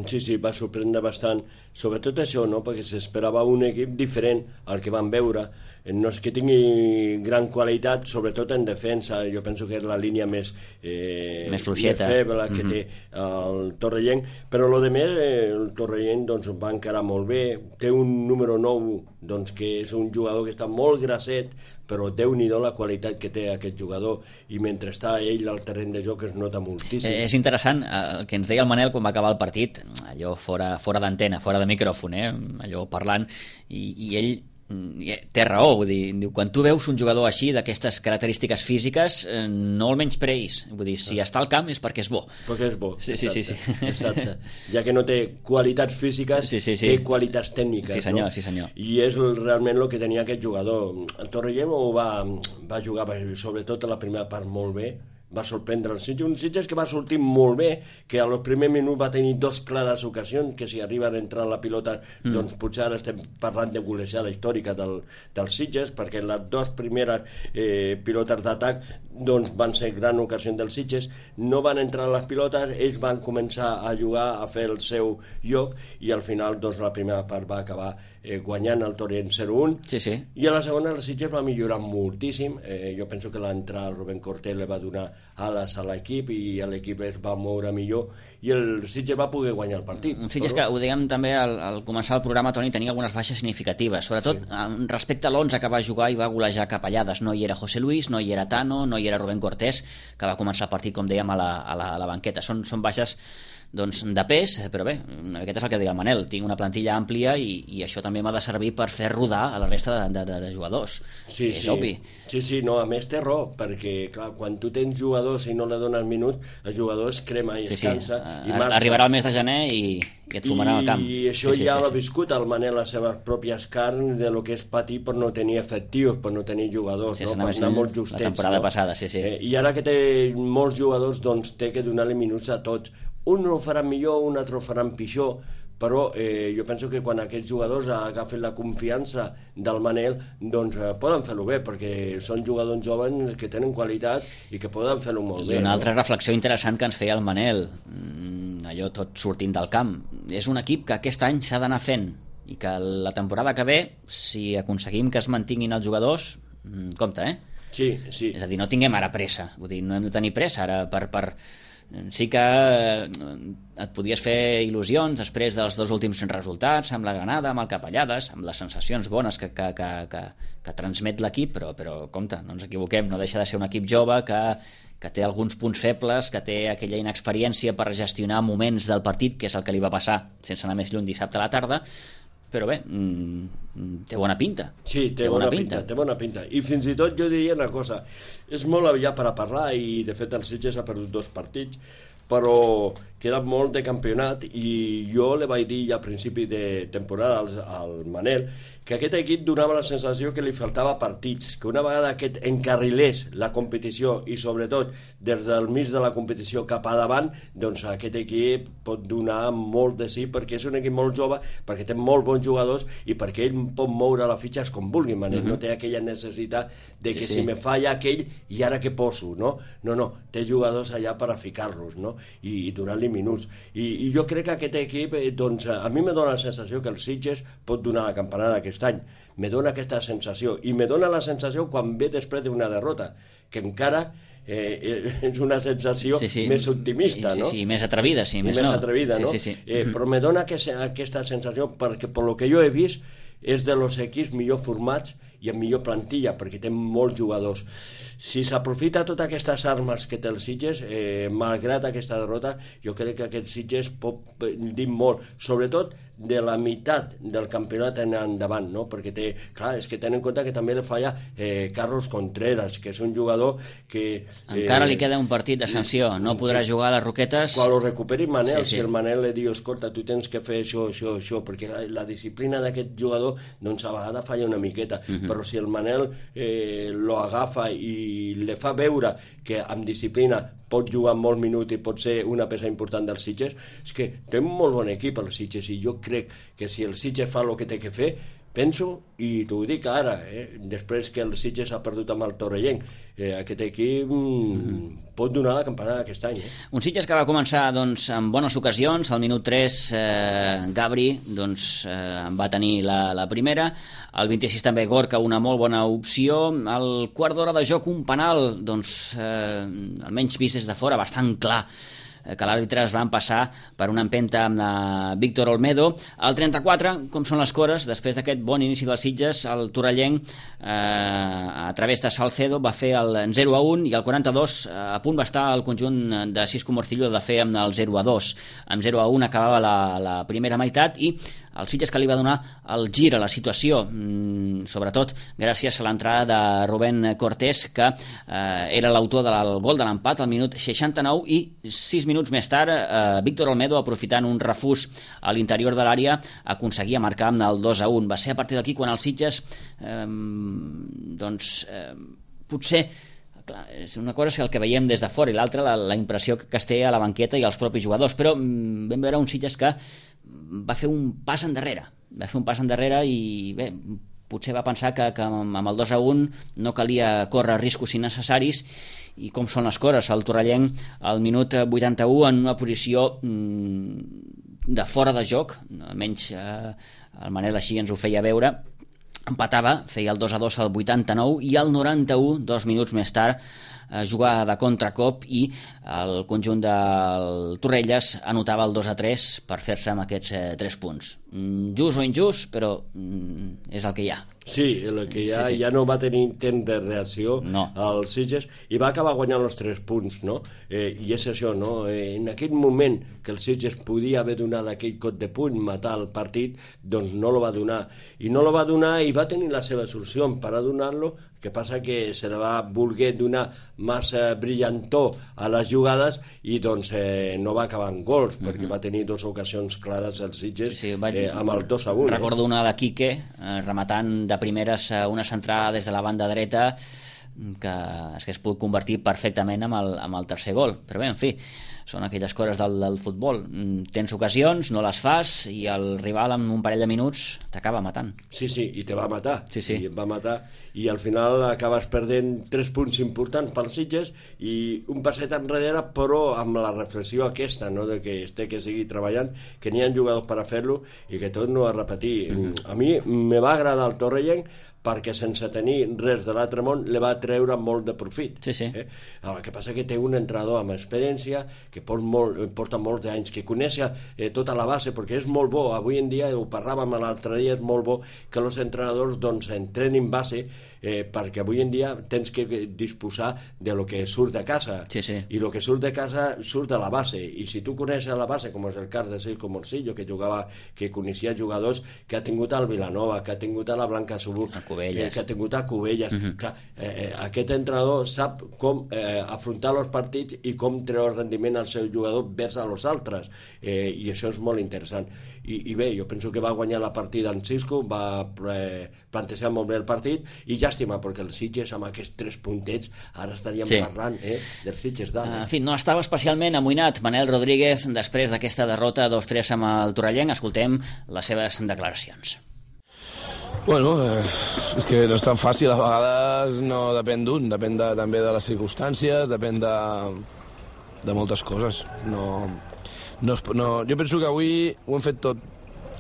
sí, sí, va sorprendre bastant, sobretot això, no? Perquè s'esperava un equip diferent al que van veure. No és que tingui gran qualitat, sobretot en defensa. Jo penso que és la línia més, eh, més fluixeta, més feble que mm-hmm. té el Torrellenc, però el de més, el Torrellenc doncs, va encarar molt bé. Té un número nou, doncs, que és un jugador que està molt grasset, però Déu-n'hi-do la qualitat que té aquest jugador, i mentre està ell al terreny de joc es nota moltíssim. Eh, és interessant el que ens deia el Manel quan va acabar el partit, allò fora, fora d'antena, fora de micròfon, eh? Allò parlant, i, i ell té raó, vull dir, quan tu veus un jugador així, d'aquestes característiques físiques, eh, no el menyspreïs, vull dir, si està al camp és perquè és bo. Perquè és bo, sí, exacte, sí, sí, sí. exacte. Ja que no té qualitats físiques, sí, sí, sí. té qualitats tècniques, sí, senyor, no? Sí, senyor. I és realment el que tenia aquest jugador. El Torrellenc ho va, va jugar, sobretot a la primera part, molt bé. Va sorprendre el Sitges, un Sitges que va sortir molt bé, que a los primers minuts va tenir dos clares ocasions, que si arriben a entrar la pilota, mm. doncs potser ara estem parlant de golejada històrica del, del Sitges, perquè les dues primeres eh, pilotes d'atac doncs van ser gran ocasió del Sitges, no van entrar les pilotes, ells van començar a jugar, a fer el seu lloc, i al final doncs la primera part va acabar eh, guanyant el Torrent zero un, sí, sí. I a la segona el Sitges va millorar moltíssim. eh, jo penso que l'entrada al Rubén Cortés li va donar ales a l'equip i l'equip es va moure millor i el Sitges va poder guanyar el partit. Un Sitges però... que, ho dèiem també al, al començar el programa, Toni, tenia algunes baixes significatives, sobretot sí. respecte a l'onze que va jugar i va golejar Capellades. No hi era José Luis, no hi era Tano, no hi era Rubén Cortés, que va començar el partit, com dèiem, a la, a la, a la banqueta. Són, són baixes doncs, de pes, però bé, una miqueta és el que diu el Manel, tinc una plantilla àmplia i, i això també m'ha de servir per fer rodar a la resta de, de, de jugadors. Sí, és sí. obvi. Sí, sí, no, a més té raó, perquè clar, quan tu tens jugadors i no li dones minuts, el jugador es crema i sí, es cansa sí. i marxa. Arribarà el mes de gener i, i et fumarà al camp. I això sí, sí, ja sí, l'ha sí. viscut el Manel les seves pròpies carns de lo que és patir per no tenir efectius, per no tenir jugadors, sí, no? Per anar molt justets. La temporada no? passada, sí, sí. Eh, I ara que té molts jugadors, doncs té que donar-li minuts a tots. Un ho faran millor, un altre ho faran pitjor, però eh, jo penso que quan aquests jugadors agafen la confiança del Manel, doncs eh, poden fer-ho bé, perquè són jugadors joves que tenen qualitat i que poden fer-ho molt I bé. I una altra no? reflexió interessant que ens feia el Manel, mm, allò tot sortint del camp, és un equip que aquest any s'ha d'anar fent i que la temporada que ve, si aconseguim que es mantinguin els jugadors, mm, compte, eh? Sí, sí. És a dir, no tinguem ara pressa, vull dir, no hem de tenir pressa ara per... per sí que et podies fer il·lusions després dels dos últims resultats amb la Granada, amb el Capellades, amb les sensacions bones que, que, que, que, que transmet l'equip, però, però compte, no ens equivoquem, no deixa de ser un equip jove que, que té alguns punts febles, que té aquella inexperiència per gestionar moments del partit, que és el que li va passar sense anar més lluny dissabte a la tarda, però bé, mmm, té bona pinta. Sí, té, té bona, bona pinta, pinta, té bona pinta. I fins i tot jo diria una cosa, és molt aviat per a parlar i de fet el Sitges ha perdut dos partits, però queda molt de campionat i jo le vaig dir ja a principi de temporada al, al Manel que aquest equip donava la sensació que li faltava partits, que una vegada aquest encarrilés la competició i sobretot des del mig de la competició cap a davant, doncs aquest equip pot donar molt de sí perquè és un equip molt jove, perquè té molt bons jugadors i perquè ell pot moure les fitxes com vulgui, Manel, uh-huh. no té aquella necessitat de que sí, sí. si me falla aquell i ara què poso, no? No, no, té jugadors allà per a ficar-los, no? I, i donar-li minuts. I, I jo crec que aquest equip, eh, doncs, a mi me dona la sensació que el Sitges pot donar la campanada aquest any. Me dona aquesta sensació i me dona la sensació quan ve després d'una derrota que encara eh, és una sensació sí, sí. més optimista, sí, no? Sí, sí, més atrevida, sí, més, més no. atrevida, sí, no? Sí, sí. Eh, però me dona que, aquesta sensació perquè per lo que jo he vist és de los equips millor formats i amb millor plantilla, perquè té molts jugadors. Si s'aprofita totes aquestes armes que té el Sitges, eh, malgrat aquesta derrota, jo crec que aquest Sitges pot dir molt, sobretot de la meitat del campionat en endavant, no? Perquè té, clar, és que tenen en compte que també li falla eh, Carlos Contreras, que és un jugador que... Eh, Encara li queda un partit de sanció, no podrà que, jugar a les Roquetes... Quan ho recuperi Manel, sí, sí. si el Manel li diu, escolta, tu tens que fer això, això, això, perquè la disciplina d'aquest jugador, doncs a vegades falla una miqueta, uh-huh. però si el Manel eh, lo agafa i le fa veure que amb disciplina pot jugar molts minuts i pot ser una peça important dels Sitges, és que té un molt bon equip el Sitges i jo crec que si el Sitges fa el que té que fer, penso, i t'ho dic ara, eh, després que el Sitges ha perdut amb el Torrellenc, eh, aquest equip mm-hmm. pot donar la campanada aquest any. Eh? Un Sitges que va començar doncs, amb bones ocasions, al minut tres eh, Gabri doncs, eh, va tenir la, la primera, al vint-i-sis també Gorka una molt bona opció, al quart d'hora de joc un penal, doncs, eh, almenys vist des de fora, bastant clar, que l'àrbitre es van passar per una empenta amb la Víctor Olmedo. Al trenta-quatre, com són les cores, després d'aquest bon inici dels Sitges, el Torrellenc, eh, a través de Salcedo, va fer el zero a un i al quaranta-dos eh, a punt va estar el conjunt de Cisco Morcillo de fer amb el zero a dos. Amb zero a un acabava la, la primera meitat i el Sitges que li va donar el gir a la situació, mm, sobretot gràcies a l'entrada de Rubén Cortés, que eh, era l'autor del gol de l'empat al minut seixanta-nou, i sis minuts més tard eh, Víctor Olmedo, aprofitant un refús a l'interior de l'àrea, aconseguia marcar amb el dos a un. Va ser a partir d'aquí quan el Sitges eh, doncs eh, potser clar, és una cosa és el que veiem des de fora i l'altra la, la impressió que es té a la banqueta i als propis jugadors, però mm, vam veure un Sitges que va fer un pas endarrere va fer un pas endarrere i bé, potser va pensar que, que amb el dos a un no calia córrer riscos innecessaris, i com són les cores, el Torrellenc al minut vuitanta-u en una posició mm, de fora de joc, almenys eh, el Manel així ens ho feia veure, empatava, feia el dos a dos al vuitanta-nou i al noranta-u, dos minuts més tard, jugava de contracop i el conjunt del Torrelles anotava el dos a tres per fer-se amb aquests eh, tres punts. Just o injust, però mm, és el que hi ha. Sí, el que ja, sí, sí. ja no va tenir intent de reacció no. al Sitges i va acabar guanyant els tres punts, no? Eh, I és això, no? Eh, en aquell moment que el Sitges podia haver donat aquell cot de puny, matar el partit, doncs no lo va donar. I no lo va donar i va tenir la seva solució per a donar-lo, que passa que se la va voler donar massa brillantor a les jugades i doncs eh, no va acabar en gols, perquè uh-huh. va tenir dues ocasions clares al Sitges sí, sí, va... eh, amb el dos a un. Recordo eh? una de Quique, eh, rematant de primeres una centrada des de la banda dreta que es, que es pot convertir perfectament amb el, amb el tercer gol, però bé, en fi, són aquelles coses del, del futbol. Tens ocasions, no les fas i el rival en un parell de minuts t'acaba matant. Sí, sí, i te va matar. Sí, sí. I et va matar i al final acabes perdent tres punts importants pels Sitges i un passet enrere, però amb la reflexió aquesta, no?, de que es té que seguir treballant, que n'hi ha jugadors per a fer-lo i que tot no a repetir. Mm-hmm. A mi me va agradar el torrellenc perquè sense tenir res de l'altre món le va treure molt de profit. Sí, sí. Eh? El que passa que té un entrenador amb experiència que porta, molt, porta molts anys, que coneix eh, tota la base, perquè és molt bo. Avui en dia, ho parlàvem l'altre dia, és molt bo que els entrenadors doncs, entrenin base eh, perquè avui en dia tens que disposar de lo que surt de casa. Sí, sí. I el que surt de casa surt de la base. I si tu coneixes la base, com és el cas de Circo Morcillo, que jugava, que coneixia jugadors que ha tingut al Vilanova, que ha tingut a la Blanca Subur, Cubelles. Eh, que ha tingut a Cubelles. Uh-huh. Clar, eh, aquest entrenador sap com eh, afrontar els partits i com treure el rendiment al seu jugador vers a los altres. Eh, I això és molt interessant. I, I bé, jo penso que va guanyar la partida en Cisco, va eh, plantejar molt bé el partit i llàstima, perquè el Sitges amb aquests tres puntets ara estaríem sí. parlant eh, dels Sitges d'ara. En fi, no estava especialment amoïnat Manel Rodríguez després d'aquesta derrota dos tres amb el Torrellenc. Escoltem les seves declaracions. Bueno, eh, és que no és tan fàcil, a vegades no depèn d'un, depèn de, també de les circumstàncies, depèn de, de moltes coses. No, no, no, jo penso que avui ho hem fet tot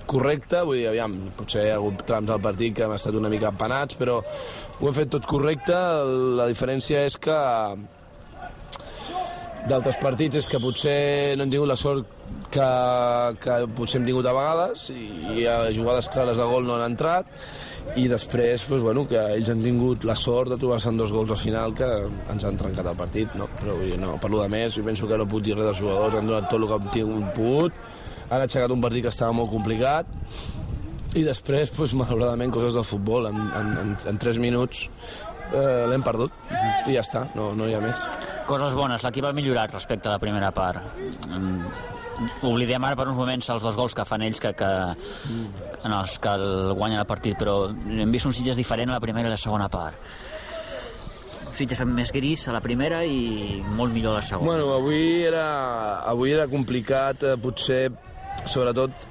correcte, vull dir, aviam, potser hi ha hagut trams del partit que hem estat una mica empanats, però ho hem fet tot correcte. La diferència és que d'altres partits és que potser no hem tingut la sort que, que potser hem tingut a vegades i, i a jugades clares de gol no han entrat i després pues, bueno, que ells han tingut la sort de trobar-se en dos gols al final que ens han trencat el partit, no? Però vull dir, no, per lo de més, jo penso que no puc dir res dels jugadors, han donat tot el que han tingut pogut, han aixecat un partit que estava molt complicat i després, pues, malauradament, coses del futbol, en, en, en, en tres minuts eh, l'hem perdut i ja està, no, no hi ha més. Coses bones, l'equip ha millorat respecte a la primera part. Oblidem ara per uns moments els dos gols que fan ells que, que, en els que el guanyen el partit, però hem vist un Sitges diferent a la primera i la segona part. Sitges més gris a la primera i molt millor a la segona. Bueno, avui era, avui era complicat, eh, potser, sobretot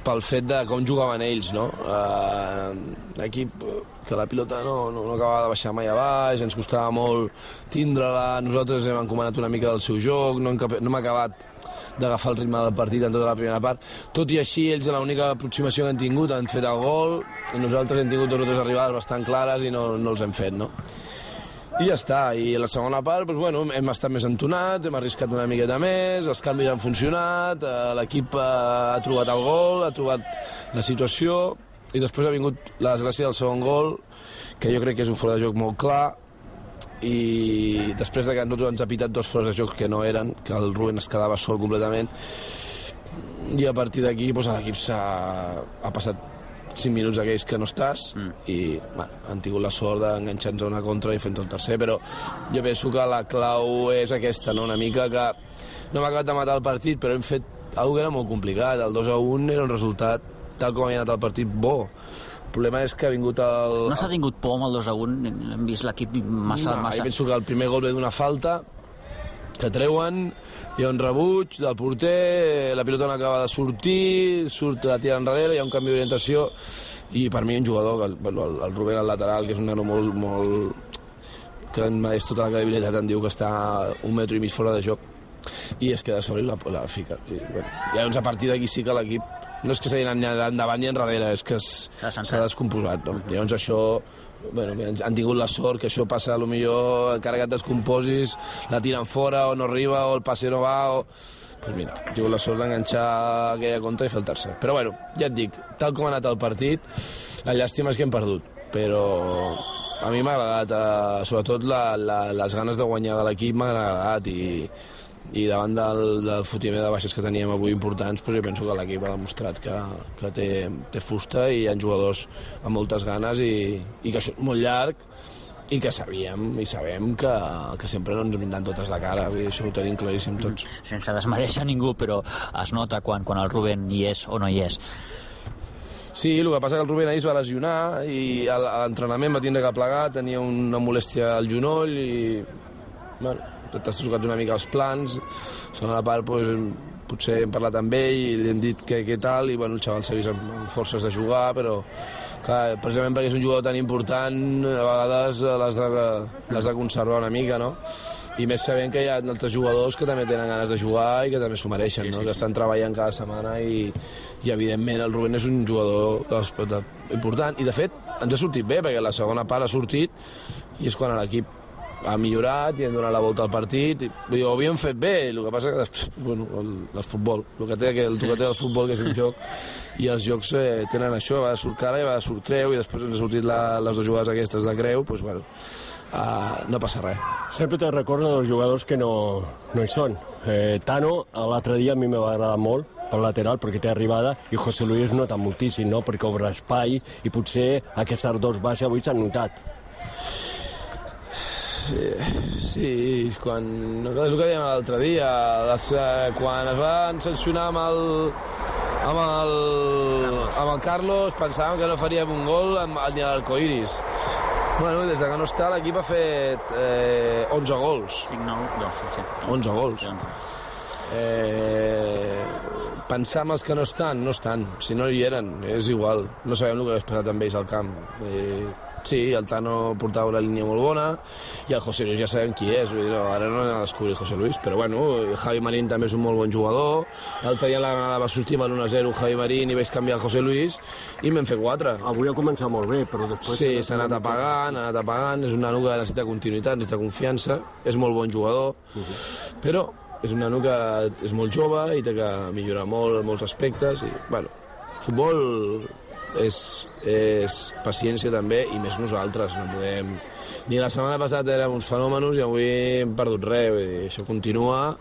pel fet de com jugaven ells, no? Eh, l'equip que la pilota no, no, no acabava de baixar mai a baix, ens costava molt tindre-la, nosaltres hem encomanat una mica del seu joc, no hem, no hem acabat d'agafar el ritme del partit en tota la primera part. Tot i així, ells l'única aproximació que han tingut han fet el gol i nosaltres hem tingut dos o tres arribades bastant clares i no, no els hem fet, no? I ja està, i a la segona part doncs, bueno, hem estat més entonats, hem arriscat una miqueta més, els canvis han funcionat, l'equip ha trobat el gol, ha trobat la situació i després ha vingut la desgràcia del segon gol, que jo crec que és un fora de joc molt clar, i després de que nosaltres ens ha pitat dos fora de joc que no eren, que el Rubén es quedava sol completament, i a partir d'aquí doncs, l'equip s'ha ha passat cinc minuts aquells que no estàs mm. i bueno, han tingut la sort d'enganxar-nos una contra i fent el tercer, però jo penso que la clau és aquesta, no? Una mica que no hem acabat de matar el partit, però hem fet alguna que era molt complicat. El dos a un era un resultat tal com havia anat el partit bo. El problema és que ha vingut el... No s'ha tingut por amb el dos a un? Hem vist l'equip massa... No, massa... jo penso que el primer gol ve d'una falta que treuen, hi ha un rebuig del porter, la pilota no acaba de sortir, surt la tira enrere, hi ha un canvi d'orientació i per mi un jugador, el, el, el Rubén al lateral, que és un nano molt, molt que és tota la credibilitat, em diu que està un metro i mig fora de joc i es queda sol i la, la fica. I, bueno, i llavors a partir d'aquí sí que l'equip no és que s'hagi anat ni endavant ni enrere, és que s'ha descomposat, no? Llavors això, bueno, han tingut la sort que això passa, potser encara que et descomposis, la tiren fora o no arriba o el passe no va o... Pues mira, he tingut la sort d'enganxar aquella contra i fer el tercer. Però bueno, ja et dic, tal com ha anat el partit, la llàstima és que hem perdut, però a mi m'ha agradat, eh, sobretot la, la, les ganes de guanyar de l'equip m'han agradat i, i davant del, del fotimer de baixes que teníem avui importants, pues jo penso que l'equip ha demostrat que, que té, té fusta i hi ha jugadors amb moltes ganes i, i que això és molt llarg i que sabíem i sabem que, que sempre no ens vindran totes de cara, i això ho tenim claríssim tots. Sense desmereixer ningú, però es nota quan, quan el Rubén hi és o no hi és. Sí, el que passa que el Rubén ahir es va lesionar i a l'entrenament va tindre que plegar, tenia una molèstia al genoll i bueno, t'has trucat una mica els plans, segona part doncs, potser hem parlat amb ell i li hem dit què, què tal i bueno, el xaval s'ha vist amb, amb forces de jugar, però clar, precisament perquè és un jugador tan important a vegades l'has de, l'has de conservar una mica, no? I més sabent que hi ha altres jugadors que també tenen ganes de jugar i que també s'ho mereixen, no? Que estan treballant cada setmana i, i evidentment el Rubén és un jugador de, de, important i de fet ens ha sortit bé perquè la segona part ha sortit i és quan l'equip ha millorat i hem donat la volta al partit i, ho havíem fet bé, el que passa que després, bueno, el, el futbol, el que té el, el que té el futbol que és un joc i els jocs eh, tenen això, va de surt cara i va de surt creu i després ens ha sortit la, les dues jugades aquestes de creu, doncs bueno Uh, no passa res. Sempre te recordo dels jugadors que no, no hi són. Eh, Tano, l'altre dia a mi m'ha agradat molt pel lateral perquè té arribada i José Luis nota moltíssim, no? Perquè obre espai i potser aquestes dos bases avui s'han notat. Sí, sí, quan, és el que dèiem l'altre dia, les, eh, quan es van sancionar amb el, amb el, amb el Carlos pensàvem que no faríem un gol amb, ni a l'Arcoiris. Bueno, des que no està l'equip ha fet eh, onze gols. cinc, nou, dos, sí. onze gols. Eh, pensar amb els que no estan, no estan. Si no hi eren, és igual. No sabem el que hagués passat amb ells al camp. Eh, sí, el Tano portava una línia molt bona i el José Luis ja sabem qui és. Vull dir, no, ara no anem a descobrir José Luis, però bueno, Javi Marín també és un molt bon jugador. L'altre dia la Granada va sortir amb l'u a zero Javi Marín i vaig canviar el José Luis i m'hem fet quatre. Avui ha començat molt bé, però després... Sí, s'ha anat apagant, ha anat apagant. És un nano que necessita continuïtat, necessita confiança. És molt bon jugador, uh-huh. Però és un nano que és molt jove i té que millorar molt en molts aspectes. I, bueno, futbol és, és paciència també i més nosaltres. No podem... Ni la setmana passada érem uns fenòmenos i avui hem perdut res. Vull dir, això continua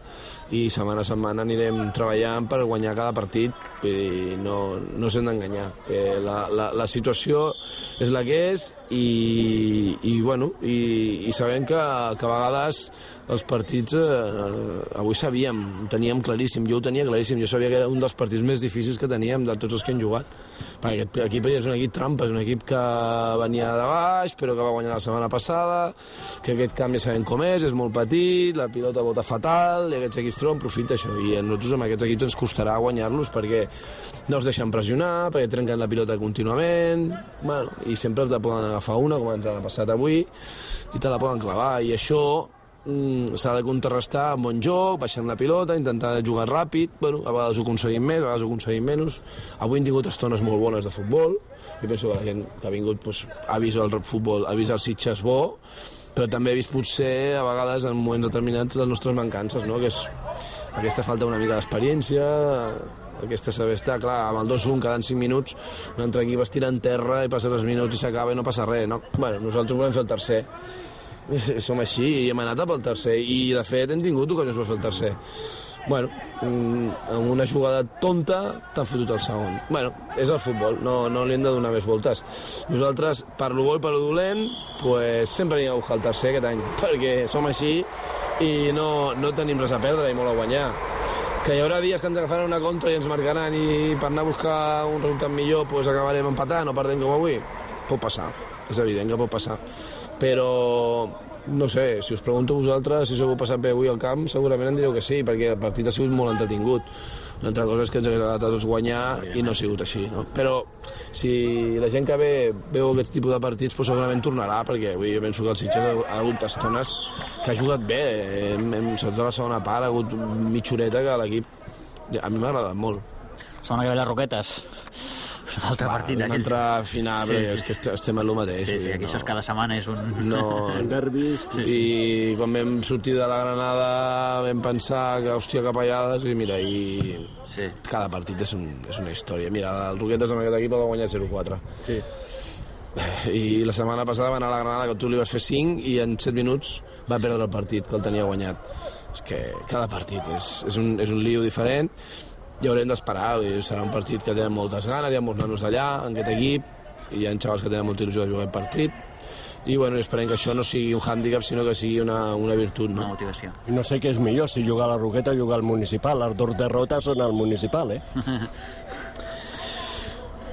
i setmana a setmana anirem treballant per guanyar cada partit. Vull dir, no, no s'hem d'enganyar. Eh, la, la, la situació és la que és i, i, bueno, i, i sabem que, que a vegades els partits eh, avui sabíem, ho teníem claríssim, jo ho tenia claríssim, jo sabia que era un dels partits més difícils que teníem de tots els que hem jugat, perquè aquest equip és un equip trampa, és un equip que venia de baix però que va guanyar la setmana passada, que aquest camp ja sabem com és, és molt petit, la pilota bota fatal i aquests equips troben profit d'això i a nosaltres amb aquests equips ens costarà guanyar-los perquè no es deixen pressionar, perquè trenquen la pilota contínuament, bueno, i sempre te poden agafar una com ens ha passat avui i te la poden clavar i això Mm, s'ha de contrarrestar amb bon joc, baixant la pilota, intentar jugar ràpid, bueno, a vegades ho aconseguim més, a vegades ho aconseguim menys. Avui hem tingut estones molt bones de futbol, jo penso que la gent que ha vingut pues, ha vist el futbol, ha vist el Sitges bo, però també he vist potser a vegades en moments determinats les nostres mancances, no? Que és aquesta falta una mica d'experiència, aquesta saber estar, clar, amb el dos un cada cinc minuts un altre equip es tira en terra i passa els minuts i s'acaba i no passa res, no? Bueno, nosaltres volem fer el tercer. Som així i hem anat pel tercer i de fet hem tingut ocasions per fer el tercer. Bueno, amb una jugada tonta t'han fotut el segon. Bueno, és el futbol, no, no li hem de donar més voltes. Nosaltres, per lo bo i per lo dolent, pues, sempre anem a buscar el tercer aquest any, perquè som així i no, no tenim res a perdre i molt a guanyar. Que hi haurà dies que ens agafaran una contra i ens marcaran i per anar a buscar un resultat millor pues, acabarem empatant o perdent com avui. Pot passar, és evident que pot passar. Però, no sé, si us pregunto a vosaltres si us heu passat bé avui al camp, segurament em direu que sí, perquè el partit ha sigut molt entretingut. Una altra cosa és que ens ha agradat a tots guanyar i no ha sigut així, no? Però si la gent que ve veu aquest tipus de partits, pues segurament tornarà, perquè avui jo penso que el Sitges ha hagut estones que ha jugat bé, sobretot la segona part, ha hagut mitja horeta que l'equip a mi m'ha agradat molt. Setmana que ve les Roquetes. Un altre Va, partit un d'aquells. altre final, Sí, però sí. és que est- estem en el mateix. Sí, sí, aquí no. això és cada setmana és un... No, Derbis. Sí, i quan vam sortir de la Granada vam pensar que, hòstia, capellades, i mira, i Sí. cada partit és, un, és una història. Mira, el Roquetes amb aquest equip el va guanyar zero quatre. Sí. I la setmana passada va anar a la Granada, que tu li vas fer cinc, i en set minuts va perdre el partit, que el tenia guanyat. És que cada partit és, és, un, és un lío diferent, i haurem d'esperar. Serà un partit que tenen moltes ganes, hi ha molts nanos allà, en aquest equip, i hi ha xavals que tenen molta il·lusió de jugar aquest partit, i bueno, esperem que això no sigui un hàndicap, sinó que sigui una, una virtut, Una no? motivació. I no sé què és millor, si jugar a la Roqueta o jugar al Municipal. Les dues derrotes són al Municipal, eh?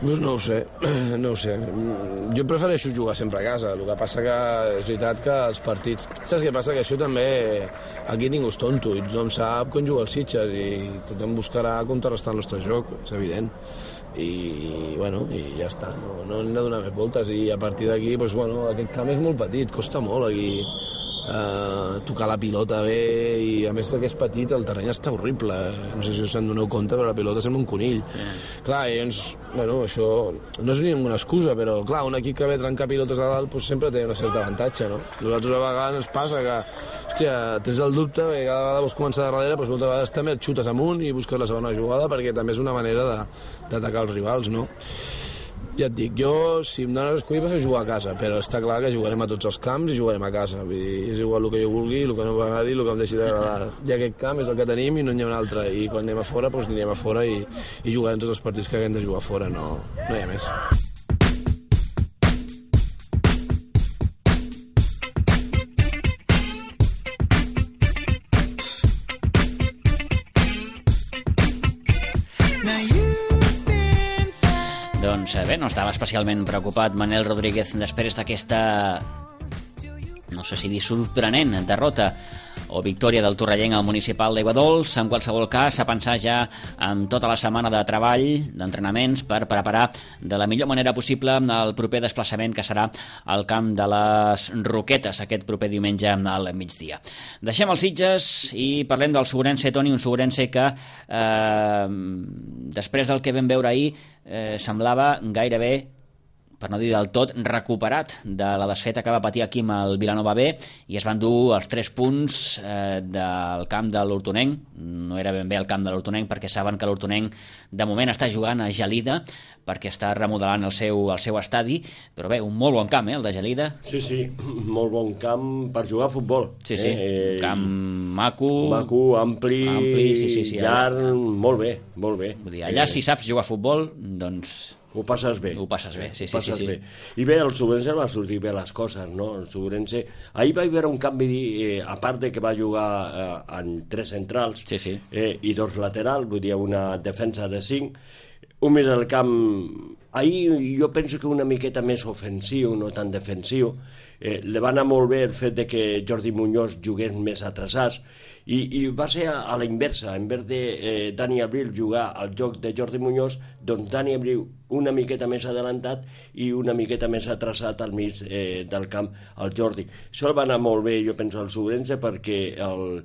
Pues no ho sé, no ho sé. Jo prefereixo jugar sempre a casa, el que passa que és veritat que els partits... Saps què passa? Que això també... Aquí ningú és tonto, i tothom sap com juga els Sitges, i tothom buscarà contrarrestar el nostre joc, és evident. I, bueno, i ja està, no, no hem de donar més voltes, i a partir d'aquí, doncs, bueno, aquest camp és molt petit, costa molt aquí eh, tocar la pilota bé, i a més que és petit, el terreny està horrible, no sé si us en doneu compte, però la pilota sembla un conill. Sí. Clar, i doncs, bueno, això no és ninguna excusa, però clar, un equip que ve a trencar pilotes a dalt doncs sempre té una certa avantatge, no? Nosaltres a vegades ens passa que, hòstia, tens el dubte, que cada vegada vols començar de darrere, doncs moltes vegades també et xutes amunt i busques la segona jugada, perquè també és una manera de, d'atacar els rivals, no? Ja et dic, jo, si em dones a escollir, vas a jugar a casa, però està clar que jugarem a tots els camps i jugarem a casa. Vull dir, és igual el que jo vulgui, el que no m'agradi, el que em deixi d'agradar. Ja aquest camp és el que tenim i no n'hi ha un altre. I quan anem a fora, doncs anirem a fora i, i jugarem tots els partits que haguem de jugar a fora. No, no hi ha més. Doncs bé, no estava especialment preocupat Manel Rodríguez després d'aquesta, no sé si dir sorprenent, derrota o victòria del torrellenc al Municipal d'Aiguadols. En qualsevol cas, a pensar ja en tota la setmana de treball, d'entrenaments, per preparar de la millor manera possible el proper desplaçament que serà al camp de les Roquetes aquest proper diumenge al migdia. Deixem els Sitges i parlem del Sobrense, Toni, un Sobrense que eh, després del que vam veure ahir eh, semblava gairebé, per no dir del tot, recuperat de la desfeta que va patir aquí amb el Vilanova B, i es van dur els tres punts eh, del camp de l'Hortonenc. No era ben bé el camp de l'Hortonenc, perquè saben que l'Hortonenc de moment està jugant a Gelida, perquè està remodelant el seu, el seu estadi, però bé, un molt bon camp, eh, el de Gelida. Sí, sí, molt bon camp per jugar a futbol. Sí, sí, eh? un camp maco, maco, ampli, ampli sí, sí, sí, llarg, allà, molt bé, molt bé. Vull dir, allà eh, si saps jugar a futbol, doncs... Ho passes bé. Ho passes bé, sí, sí, passes sí, sí. Bé. I bé, el Sobrense va sortir bé les coses, no? El Sobrense... Ahir va haver un canvi, eh, a part de que va jugar eh, en tres centrals sí, sí. Eh, i dos laterals, vull dir, una defensa de cinc, un mig del camp... Ahir jo penso que una miqueta més ofensiu, no tan defensiu. Eh, li va anar molt bé el fet de que Jordi Muñoz jugués més atrasats, i, i va ser a, a la inversa. En vez de eh, Dani Abril jugar al joc de Jordi Muñoz, doncs Dani Abril una miqueta més adelantat i una miqueta més atrasat al mig eh, del camp al Jordi. Això el va anar molt bé, jo penso, al Sobrense, perquè el,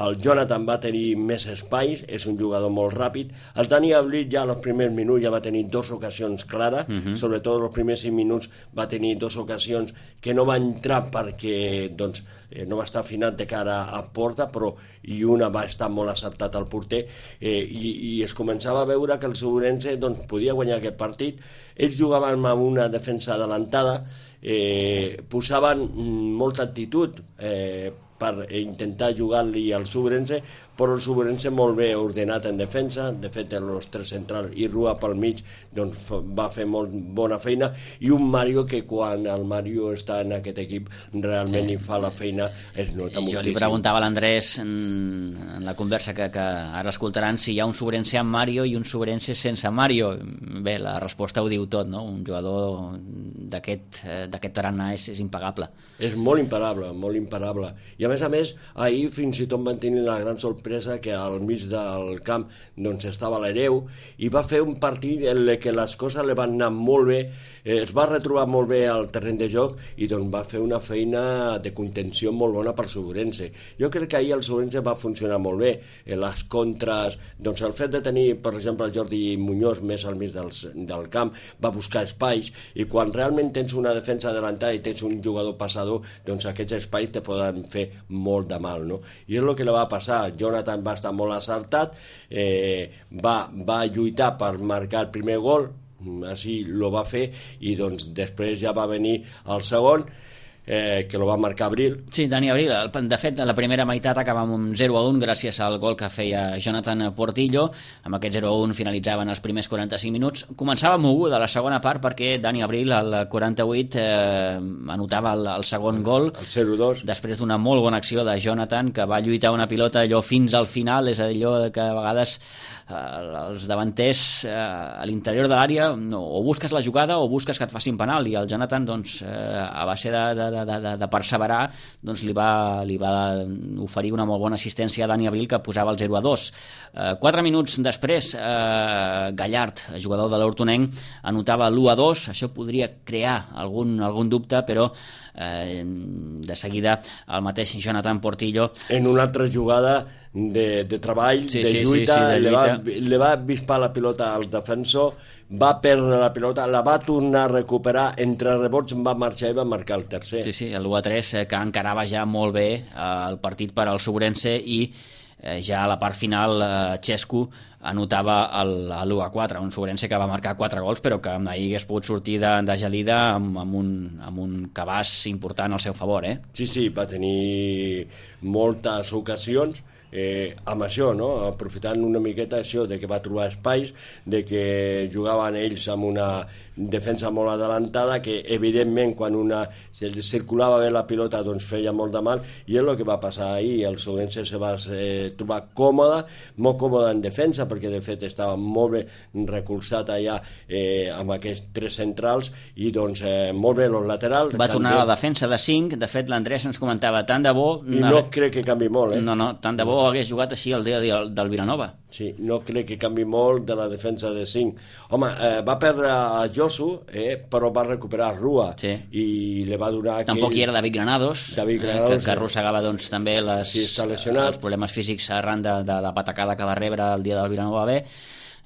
el Jonathan va tenir més espais, és un jugador molt ràpid. El Dani Abril ja als primers minuts ja va tenir dues ocasions clares, uh -huh. sobretot els primers cinc minuts va tenir dues ocasions que no va entrar perquè doncs, eh, no va estar afinat de cara a porta, però i una va estar molt acertat al porter, eh, i, i es començava a veure que el Sobrense doncs, podia guanyar aquest partit. Ells jugaven amb una defensa adelantada, eh, posaven molta actitud eh, per intentar jugar-li al Sobrense, però el Sobrense molt bé ordenat en defensa. De fet, els tres centrals i Rua pel mig doncs, va fer molt bona feina, i un Mario que quan el Mario està en aquest equip realment sí. hi fa la feina, es nota moltíssim. Jo li preguntava a l'Andrés en, en la conversa que, que ara escoltaran si hi ha un Sobrense amb Mario i un Sobrense sense Mario. Bé, la resposta ho diu tot, no? Un jugador d'aquest tarannà és, és impagable. És molt imparable, molt imparable. I a més a més, ahir fins i tot van tenir la gran sorpresa que al mig del camp doncs estava l'Hereu i va fer un partit en què les coses li van anar molt bé, eh, es va retrobar molt bé al terreny de joc i doncs va fer una feina de contenció molt bona per Sobrense. Jo crec que ahir el Sobrense va funcionar molt bé. Eh, les contres, doncs el fet de tenir, per exemple, el Jordi Muñoz més al mig del, del camp, va buscar espais i quan realment tens una defensa adelantada i tens un jugador passador, doncs aquests espais te poden fer molt de mal, no? I és el que li va passar. Jonathan va estar molt acertat, eh, va, va lluitar per marcar el primer gol, així lo va fer, i doncs després ja va venir el segon, eh, que lo va marcar Abril. Sí, Dani Abril. De fet, la primera meitat acaba amb un zero a un gràcies al gol que feia Jonathan Portillo. Amb aquest zero a un finalitzaven els primers quaranta-cinc minuts. Començava moguda la segona part perquè Dani Abril al quaranta-vuit eh, anotava el, el segon gol. El zero dos. Després d'una molt bona acció de Jonathan, que va lluitar una pilota allò fins al final, és a dir, allò que a vegades eh, els davanters eh, a l'interior de l'àrea no, o busques la jugada o busques que et facin penal, i el Jonathan doncs, eh, a base de, de De, de, de perseverar, doncs li va, li va oferir una molt bona assistència a Dani Abril, que posava el zero a dos. Eh, quatre minuts després, eh, Gallard, jugador de l'Hortonenc, anotava l'u a dos. Això podria crear algun, algun dubte, però eh, de seguida el mateix Jonathan Portillo, en una altra jugada de, de treball, sí, de sí, lluita, sí, sí, de li, lluita. Va, li va avispar la pilota al defensor, va perdre la pilota, la va tornar a recuperar, entre rebots va marxar i va marcar el tercer. Sí, sí, l'u a tres, eh, que encarava ja molt bé eh, el partit per al Sobrense, i eh, ja a la part final eh, Xesco anotava l'u a quatre, un Sobrense que va marcar quatre gols, però que ahir hagués pogut sortir de, de gelida amb, amb, un, amb un cabàs important al seu favor, eh? Sí, sí, va tenir moltes ocasions, eh, amb això, no? Aprofitant una miqueta això de que va trobar espais, de que jugaven ells amb una defensa molt adelantada, que evidentment quan una circulava bé la pilota doncs feia molt de mal, i és el que va passar ahir. El Sobrense se va eh, trobar còmode, molt còmode en defensa, perquè de fet estava molt bé recolzat allà eh, amb aquests tres centrals, i doncs eh, molt bé els laterals. Va tornar a la defensa de cinc. De fet, l'Andrés ens comentava, tant de bo... I no crec que canvi molt, eh? No, no, tant de bo hagués jugat així el dia del Vilanova. Sí, no crec que canvi molt de la defensa de cinc. Home, eh, va perdre a Josu, eh, però va recuperar Rua, sí, i li va donar... Tampoc aquell... hi era David Granados, David Granados eh, que, que arrossegava doncs, també les, sí, els problemes físics arran de, de la patacada que va rebre el dia del Vilanova B.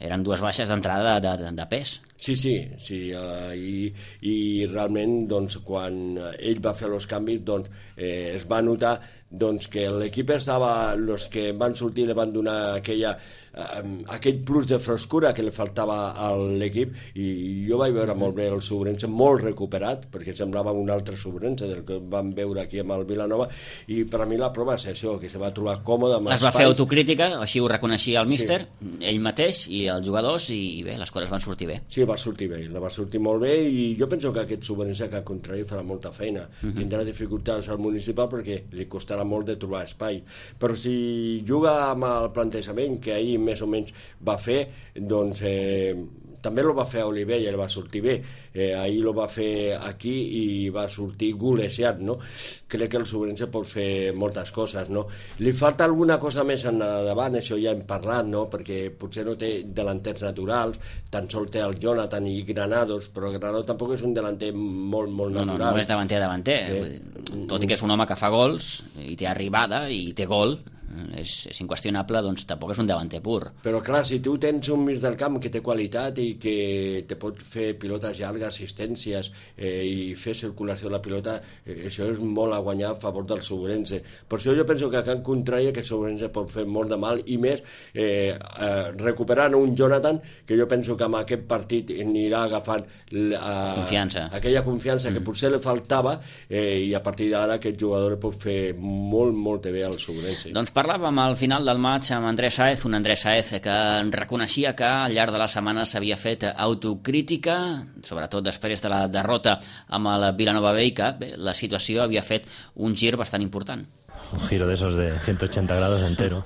Eren dues baixes d'entrada de, de, de pes. Sí, sí, sí, uh, i, i realment doncs, quan ell va fer els canvis doncs, eh, es va notar doncs, que l'equip estava, els que van sortir li van donar aquella, eh, aquell plus de frescura que li faltava a l'equip, i jo vaig veure molt bé el Sobrense, molt recuperat, perquè semblava un altre Sobrense del que vam veure aquí amb el Vilanova, i per a mi la prova és això, que se va trobar còmode amb es va fer autocrítica, així ho reconeixia el míster, sí, ell mateix i els jugadors, i bé, les coses van sortir bé. Sí, va sortir bé, la va sortir molt bé, i jo penso que aquest Sobrense, que al contrari farà molta feina, uh-huh. tindrà dificultats al municipal perquè li costarà molt de trobar espai, però si juga amb el plantejament que ahir més o menys va fer, doncs eh, també lo va fer a Olivella, el va sortir bé, eh, ahir lo va fer aquí i va sortir golejat, no? Crec que el Sobrense pot fer moltes coses, no? Li falta alguna cosa més endavant, això ja hem parlat, no? Perquè potser no té delanters naturals, tan sol té el Jonathan i Granados, però Granados tampoc és un delanter molt, molt no, natural. No, no és davanter a davanter, eh, tot i que és un home que fa gols i té arribada i té gol, és, és inqüestionable, doncs tampoc és un davanter pur. Però clar, si tu tens un mig del camp que té qualitat i que te pot fer pilotes llargues, assistències eh, i fer circulació de la pilota, eh, això és molt a guanyar a favor del Sobrense. Per això jo penso que a Can Contrari que el Sobrense pot fer molt de mal, i més eh, eh, recuperant un Jonathan que jo penso que amb aquest partit anirà agafant la, confiança. aquella confiança mm. que potser li faltava, eh, i a partir d'ara aquest jugador pot fer molt, molt bé al Sobrense. Doncs parlàvem al final del maig amb Andrés Sáez, un Andrés Sáez que reconeixia que al llarg de la setmana s'havia fet autocrítica, sobretot després de la derrota amb el Vilanova B, i que bé, la situació havia fet un gir bastant important. Un giro de esos de ciento ochenta grados entero.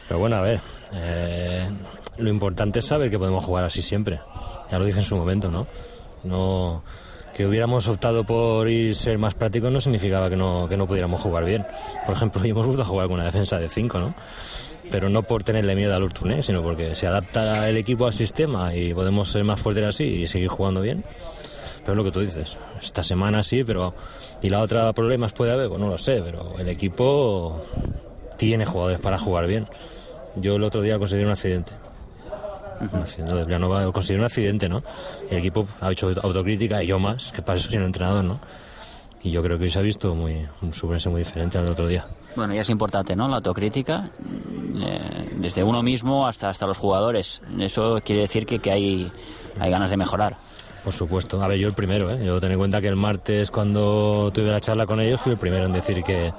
Pero bueno, a ver, eh, lo importante es saber que podemos jugar así siempre. Ya lo dije en su momento, ¿no? No que hubiéramos optado por ir ser más prácticos no significaba que no, que no pudiéramos jugar bien. Por ejemplo, hoy hemos vuelto a jugar con una defensa de cinco, ¿no? Pero no por tenerle miedo al Urtuné, sino porque se adapta el equipo al sistema y podemos ser más fuertes así y seguir jugando bien. Pero es lo que tú dices, esta semana sí, pero y la otra problemas puede haber, pues no lo sé, pero el equipo tiene jugadores para jugar bien. Yo el otro día consideré un accidente. Un accidente, Villanova consideró un accidente, ¿no? El equipo ha hecho autocrítica y yo más, que para eso soy un entrenador, ¿no? Y yo creo que hoy se ha visto muy, un Subrense muy diferente al otro día. Bueno, ya es importante, ¿no? La autocrítica, eh, desde uno mismo hasta, hasta los jugadores. Eso quiere decir que, que hay, hay ganas de mejorar. Por supuesto. A ver, yo el primero, ¿eh? Yo ten en cuenta que el martes, cuando tuve la charla con ellos, fui el primero en decir que,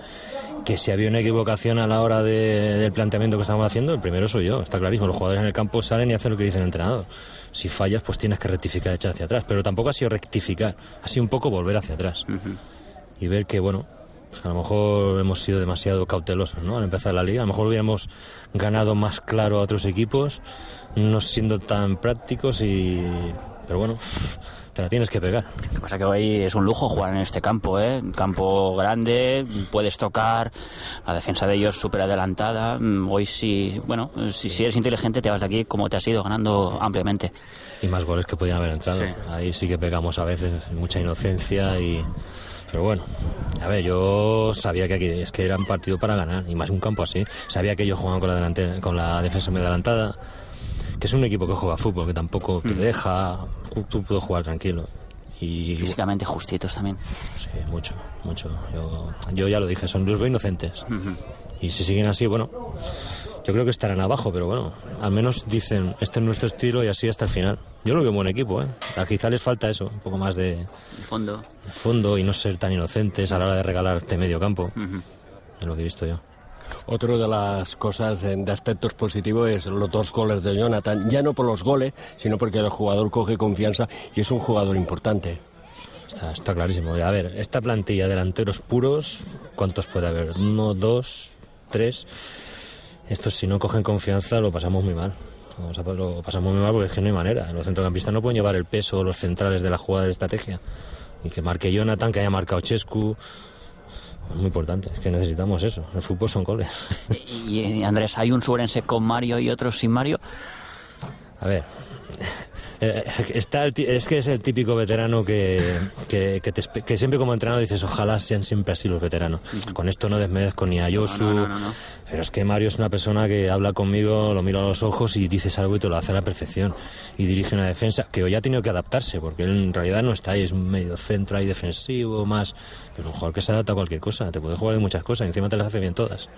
que si había una equivocación a la hora de, del planteamiento que estábamos haciendo, el primero soy yo. Está clarísimo. Los jugadores en el campo salen y hacen lo que dice el entrenador. Si fallas, pues tienes que rectificar, echar hacia atrás. Pero tampoco ha sido rectificar. Ha sido un poco volver hacia atrás. Uh-huh. Y ver que, bueno, pues que a lo mejor hemos sido demasiado cautelosos, ¿no? Al empezar la liga. A lo mejor hubiéramos ganado más claro a otros equipos, no siendo tan prácticos y... Pero bueno, te la tienes que pegar. Lo que pasa es que hoy es un lujo jugar en este campo, ¿eh? Un campo grande, puedes tocar, la defensa de ellos súper adelantada. Hoy sí, bueno, si, si eres inteligente te vas de aquí como te has ido, ganando sí. ampliamente. Y más goles que podían haber entrado. Sí. Ahí sí que pegamos a veces, mucha inocencia y... Pero bueno, a ver, yo sabía que aquí es que era un partido para ganar, y más un campo así. Sabía que ellos jugaban con la, delantera, con la defensa muy adelantada, que es un equipo que juega fútbol, que tampoco te deja, tú puedes jugar tranquilo. Y físicamente justitos también. Sí, mucho, mucho. Yo, yo ya lo dije, son los inocentes. Uh-huh. Y si siguen así, bueno, yo creo que estarán abajo, pero bueno, al menos dicen, este es nuestro estilo y así hasta el final. Yo lo veo un buen equipo, ¿eh? A quizá les falta eso, un poco más de... de fondo. De fondo y no ser tan inocentes a la hora de regalarte medio campo. Uh-huh. Es lo que he visto yo. Otra de las cosas de aspectos positivos es los dos goles de Jonathan, ya no por los goles, sino porque el jugador coge confianza y es un jugador importante. Está, está clarísimo. A ver, esta plantilla de delanteros puros, ¿cuántos puede haber? Uno, dos, tres. Estos si no cogen confianza lo pasamos muy mal. Vamos a, lo pasamos muy mal porque es que no hay manera. Los centrocampistas no pueden llevar el peso, los centrales de la jugada de estrategia. Y que marque Jonathan, que haya marcado Chescu. Es muy importante, es que necesitamos eso. El fútbol son goles. Y, y Andrés, ¿hay un Subrense con Mario y otro sin Mario? A ver, eh, está el, es que es el típico veterano que, que, que, te, que siempre como entrenador dices, ojalá sean siempre así los veteranos. Uh-huh. Con esto no desmerezco ni a Josu, no, no, no, no. Pero es que Mario es una persona que habla conmigo, lo miro a los ojos y dices algo y te lo hace a la perfección. Y dirige una defensa que hoy ha tenido que adaptarse, porque él en realidad no está ahí, es un medio centro ahí defensivo, más... Pero un jugador que se adapta a cualquier cosa, te puede jugar de muchas cosas y encima te las hace bien todas.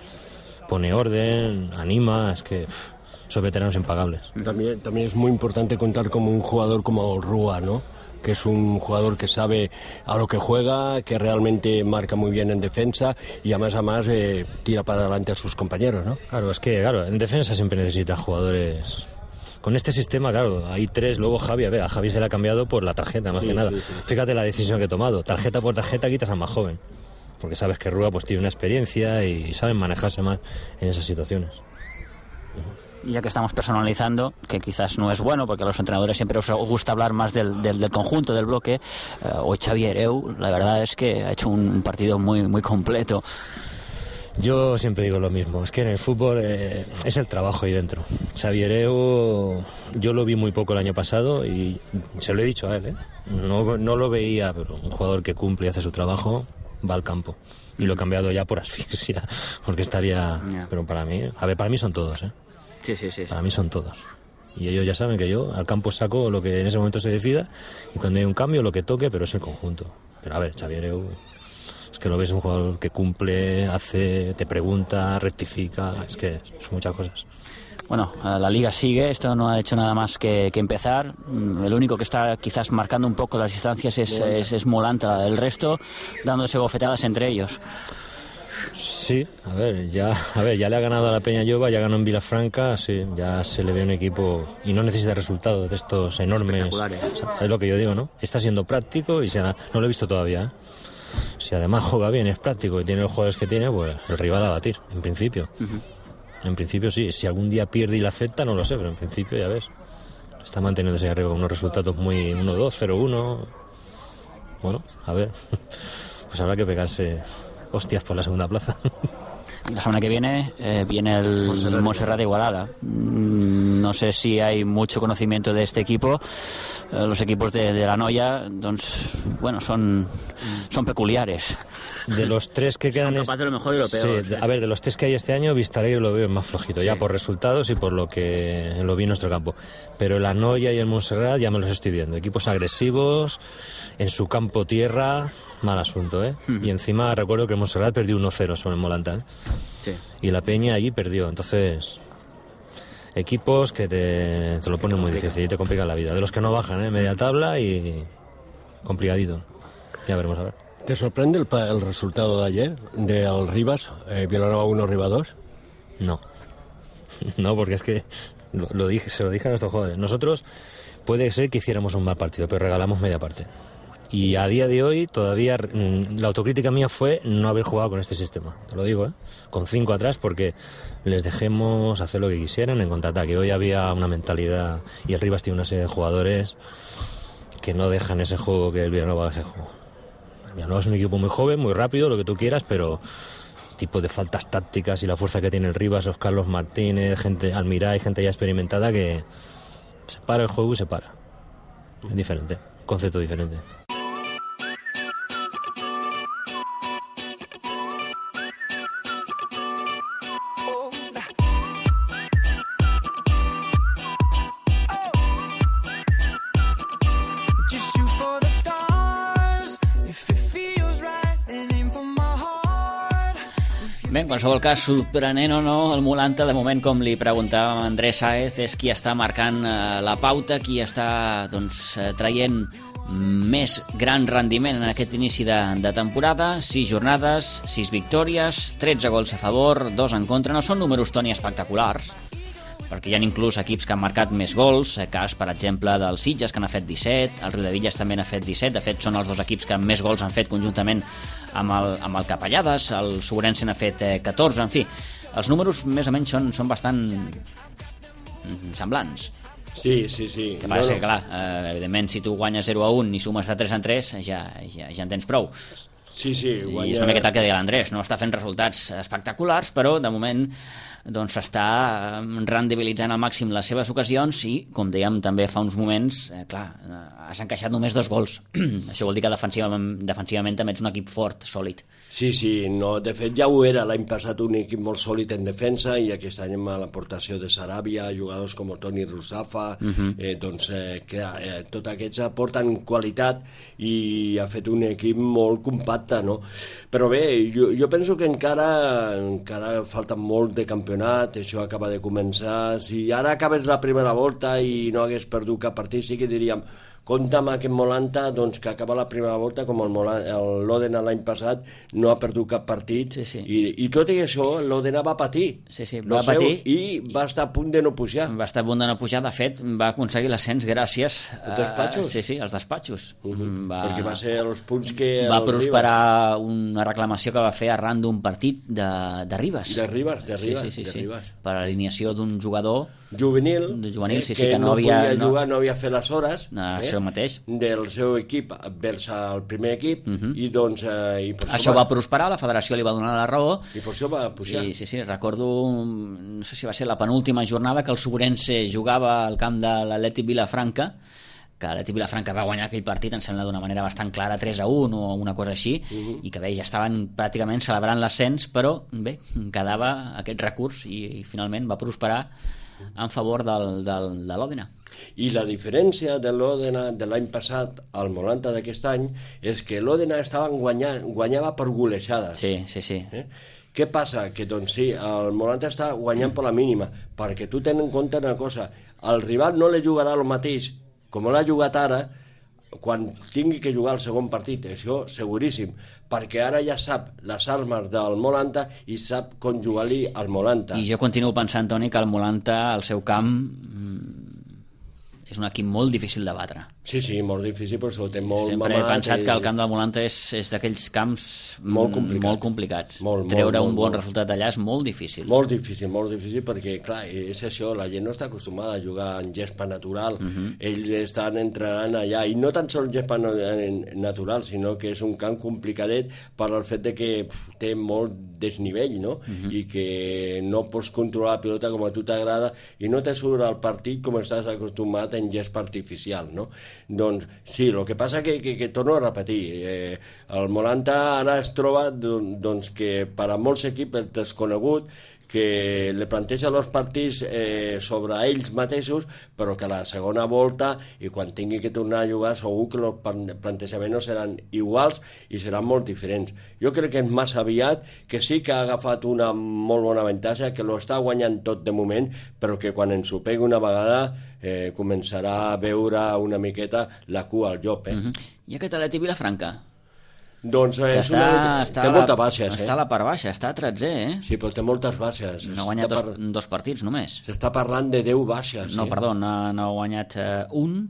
Pone orden, anima, es que... Uff, son veteranos impagables. También, también es muy importante contar como un jugador como Rúa, ¿no? Que es un jugador que sabe a lo que juega, que realmente marca muy bien en defensa y además además eh, tira para adelante a sus compañeros, ¿no? Claro, es que claro, en defensa siempre necesitas jugadores. Con este sistema, claro, hay tres, luego Javi, a ver, a Javi se le ha cambiado por la tarjeta, más sí, que nada. Sí, sí. Fíjate la decisión que he tomado, tarjeta por tarjeta quitas al más joven, porque sabes que Rúa pues tiene una experiencia y saben manejarse más en esas situaciones. Y ya que estamos personalizando, que quizás no es bueno, porque a los entrenadores siempre os gusta hablar más del, del, del conjunto, del bloque, eh, hoy Xavi Hereu, la verdad es que ha hecho un partido muy, muy completo. Yo siempre digo lo mismo, es que en el fútbol eh, es el trabajo ahí dentro. Xavi Hereu, yo lo vi muy poco el año pasado y se lo he dicho a él, ¿eh? no, no lo veía, pero un jugador que cumple y hace su trabajo va al campo. Y lo he cambiado ya por asfixia, porque estaría... Yeah. Pero para mí, a ver, para mí son todos, ¿eh? Sí, sí, sí. Para mí son todos. Y ellos ya saben que yo al campo saco lo que en ese momento se decida y cuando hay un cambio lo que toque, pero es el conjunto. Pero a ver, Xavi Hereu, es que lo ves un jugador que cumple, hace, te pregunta, rectifica, es que son muchas cosas. Bueno, la liga sigue, esto no ha hecho nada más que, que empezar. El único que está quizás marcando un poco las distancias es, es, es Molanta, el resto dándose bofetadas entre ellos. Sí, a ver, ya, a ver, ya le ha ganado a la Peña Lloba, ya ganó en Vilafranca, sí, ya se le ve un equipo y no necesita resultados de estos enormes. O sea, es lo que yo digo, ¿no? Está siendo práctico y se ha, no lo he visto todavía, ¿eh? Si además juega bien, es práctico y tiene los jugadores que tiene, pues el rival a batir, en principio. Uh-huh. En principio sí, si algún día pierde y la acepta, no lo sé, pero en principio ya ves, está manteniéndose arriba con unos resultados muy uno dos, cero uno. bueno, a ver, pues habrá que pegarse hostias por la segunda plaza. Y la semana que viene eh, viene el Montserrat, Montserrat de Igualada. No sé si hay mucho conocimiento de este equipo. Eh, los equipos de, de la Noia, doncs, bueno, son, son peculiares. De los tres que quedan... Son capaz de lo mejor y lo peor. Sí, a ver, de los tres que hay este año, Vistalegre lo veo más flojito, sí. Ya por resultados y por lo que lo vi en nuestro campo. Pero la Noia y el Montserrat ya me los estoy viendo. Equipos agresivos, en su campo tierra, mal asunto, ¿eh? Uh-huh. Y encima recuerdo que el Montserrat perdió uno cero sobre el Molanta, ¿eh? Sí. Y la Peña allí perdió, entonces... Equipos que te, te lo ponen muy difícil y te complican la vida. De los que no bajan, ¿eh? Media tabla y complicadito. Ya veremos, a ver. ¿Te sorprende el, el resultado de ayer del Rivas, eh, Vilanova uno, Rivas dos? No. No, porque es que lo, lo dije, se lo dije a nuestros jugadores. Nosotros puede ser que hiciéramos un mal partido, pero regalamos media parte. Y a día de hoy todavía la autocrítica mía fue no haber jugado con este sistema, te lo digo, ¿eh? Con cinco atrás, porque les dejemos hacer lo que quisieran en contraataque. Hoy había una mentalidad y el Rivas tiene una serie de jugadores que no dejan ese juego que el Vilanova haga ese juego. El Vilanova es un equipo muy joven, muy rápido, lo que tú quieras, pero tipo de faltas tácticas y la fuerza que tiene el Rivas, los Carlos Martínez, gente Almiray, gente ya experimentada que se para el juego y se para. Es diferente, concepto diferente. Bé, en qualsevol cas, sorprenent o no, el Molanta, de moment, com li preguntàvem a Andrés Sáez, és qui està marcant eh, la pauta, qui està doncs, traient més gran rendiment en aquest inici de, de temporada. Sis jornades, sis victòries, tretze gols a favor, dos en contra. No són números, Toni, espectaculars, perquè hi ha inclús equips que han marcat més gols, cas, per exemple, del Sitges, que n'ha fet disset, el Riudevilles també n'ha fet disset, de fet són els dos equips que més gols han fet conjuntament amb el, amb el Capellades, el Sobrense n'ha fet eh, catorze, en fi, els números més o menys són, són bastant semblants. Sí, sí, sí. Que passa no, no. que, clar, eh, evidentment, si tu guanyes zero a un i sumes de tres en tres, ja, ja, ja en tens prou. Sí, sí, guanya... I és una miqueta el que deia l'Andrés, no està fent resultats espectaculars, però de moment doncs està rendibilitzant al màxim les seves ocasions i, com dèiem també fa uns moments, eh, clar, eh, has encaixat només dos gols. Això vol dir que defensivament, defensivament també ets un equip fort, sòlid. Sí, sí, no, de fet ja ho era l'any passat, un equip molt sòlid en defensa, i aquest any amb l'aportació de Saràbia, jugadors com Toni Rusafa, uh-huh. eh, doncs eh, que eh, tots aquests aporten qualitat i ha fet un equip molt compacte, no? Però bé, jo, jo penso que encara, encara falta molt de campionat, això acaba de començar. Si ara acabes la primera volta i no hagués perdut cap partit, sí que diríem compte amb aquest Molanta, doncs, que acaba la primera volta, com el, el l'Òdena l'any passat no ha perdut cap partit, sí, sí. I, i tot i això l'Òdena va patir, sí, sí, va seu, patir i va estar a punt de no pujar. Va estar a punt de no pujar, de fet va aconseguir l'ascens gràcies a... Els despatxos? Sí, sí, els despatxos. Uh-huh. Va... Perquè va ser els punts que... Va prosperar una reclamació que va fer arran d'un partit de, de Ribas. De Ribas, de Ribas. Sí, sí, sí, de sí. Ribas. Per alineació d'un jugador juvenil, de juvenil, sí, que, sí, que no, no havia podia no... jugar, no havia fet les hores, no, eh? Això mateix, del seu equip vers al primer equip, uh-huh. i doncs eh, i per això va... va prosperar, la federació li va donar la raó i per això va pujar. I, sí, sí, recordo, no sé si va ser la penúltima jornada que el Sobrense jugava al camp de l'Atlètic Vilafranca, que l'Atlètic Vilafranca va guanyar aquell partit, em sembla d'una manera bastant clara, tres a un o una cosa així, uh-huh. i que bé, ja estaven pràcticament celebrant l'ascens, però bé, quedava aquest recurs i, i finalment va prosperar en favor del, del, de l'Òdena. I la diferència de l'Òdena de l'any passat al Molanta d'aquest any és que l'Òdena estaven guanyant, guanyava per golejades. Sí, sí, sí. Eh? Què passa? Que doncs sí, el Molanta està guanyant per la mínima, perquè tu ten en compte una cosa, el rival no li jugarà el mateix com l'ha jugat ara quan tingui que jugar el segon partit, això seguríssim, perquè ara ja sap les armes del Molanta i sap com jugar-li al Molanta. I jo continuo pensant, Toni, que el Molanta, al seu camp, és un equip molt difícil de batre. Sí, sí, molt difícil, però s'ho té molt Sempre mamat. he pensat i... que el camp del Molanta és, és d'aquells camps molt, complicat. molt complicats. Molt, Treure molt, un bon molt. resultat allà és molt difícil. Molt difícil, molt difícil, perquè, clar, és això, la gent no està acostumada a jugar en gespa natural. Uh -huh. Ells estan entrenant allà, i no tan sols gespa natural, sinó que és un camp complicadet per al fet de que pf, té molt desnivell, no? Uh -huh. I que no pots controlar la pilota com a tu t'agrada i no te surt al partit com estàs acostumat en gespa artificial, no? Doncs sí, el que passa que, que, que torno a repetir, eh, el Molanta ara es troba doncs, que per a molts equips el desconegut que li planteja els partits eh, sobre ells mateixos, però que a la segona volta i quan tingui que tornar a jugar segur que els plantejaments seran iguals i seran molt diferents. Jo crec que és massa aviat, que sí que ha agafat una molt bona avantatge, que lo està guanyant tot de moment, però que quan ens ho pegui una vegada eh, començarà a veure una miqueta la cua al llop. Eh? Uh-huh. I aquest Atleti Vilafranca? Doncs eh, és està, una... està té la, moltes baixes. Està eh? a la part baixa, està a tretzè, eh? Sí, però té moltes baixes. No ha guanyat dos, par... dos partits només. S'està parlant de deu baixes. No, eh? perdó, no, no ha guanyat uh, un,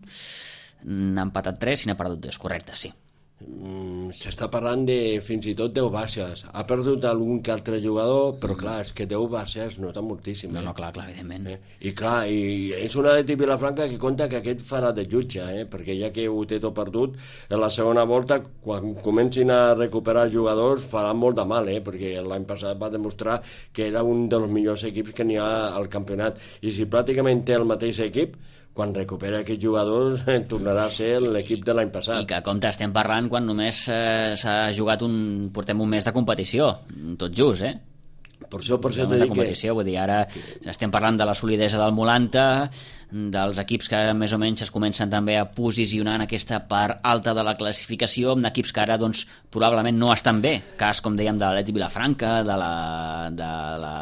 n'ha empatat tres i n'ha perdut dos, correcte, sí. Mm, s'està parlant de fins i tot deu baixes. Ha perdut algun que altre jugador, però mm. clar, és que deu baixes nota moltíssim. No, eh? no, clar, clar, evidentment. Eh? I clar, i és una de Vilafranca que compta que aquest farà de jutge, eh? perquè ja que ho té tot perdut, en la segona volta, quan comencin a recuperar jugadors, farà molt de mal, eh? perquè l'any passat va demostrar que era un dels millors equips que n'hi ha al campionat. I si pràcticament té el mateix equip, quan recupera aquests jugadors tornarà a ser l'equip de l'any passat. I que compte, estem parlant quan només eh, s'ha jugat un... portem un mes de competició, tot just, eh? Per això, per això de competició, que... vull dir, ara estem parlant de la solidesa del Molanta, dels equips que més o menys es comencen també a posicionar en aquesta part alta de la classificació, amb equips que ara doncs, probablement no estan bé, cas com dèiem de l'Atleti Vilafranca, de la, de la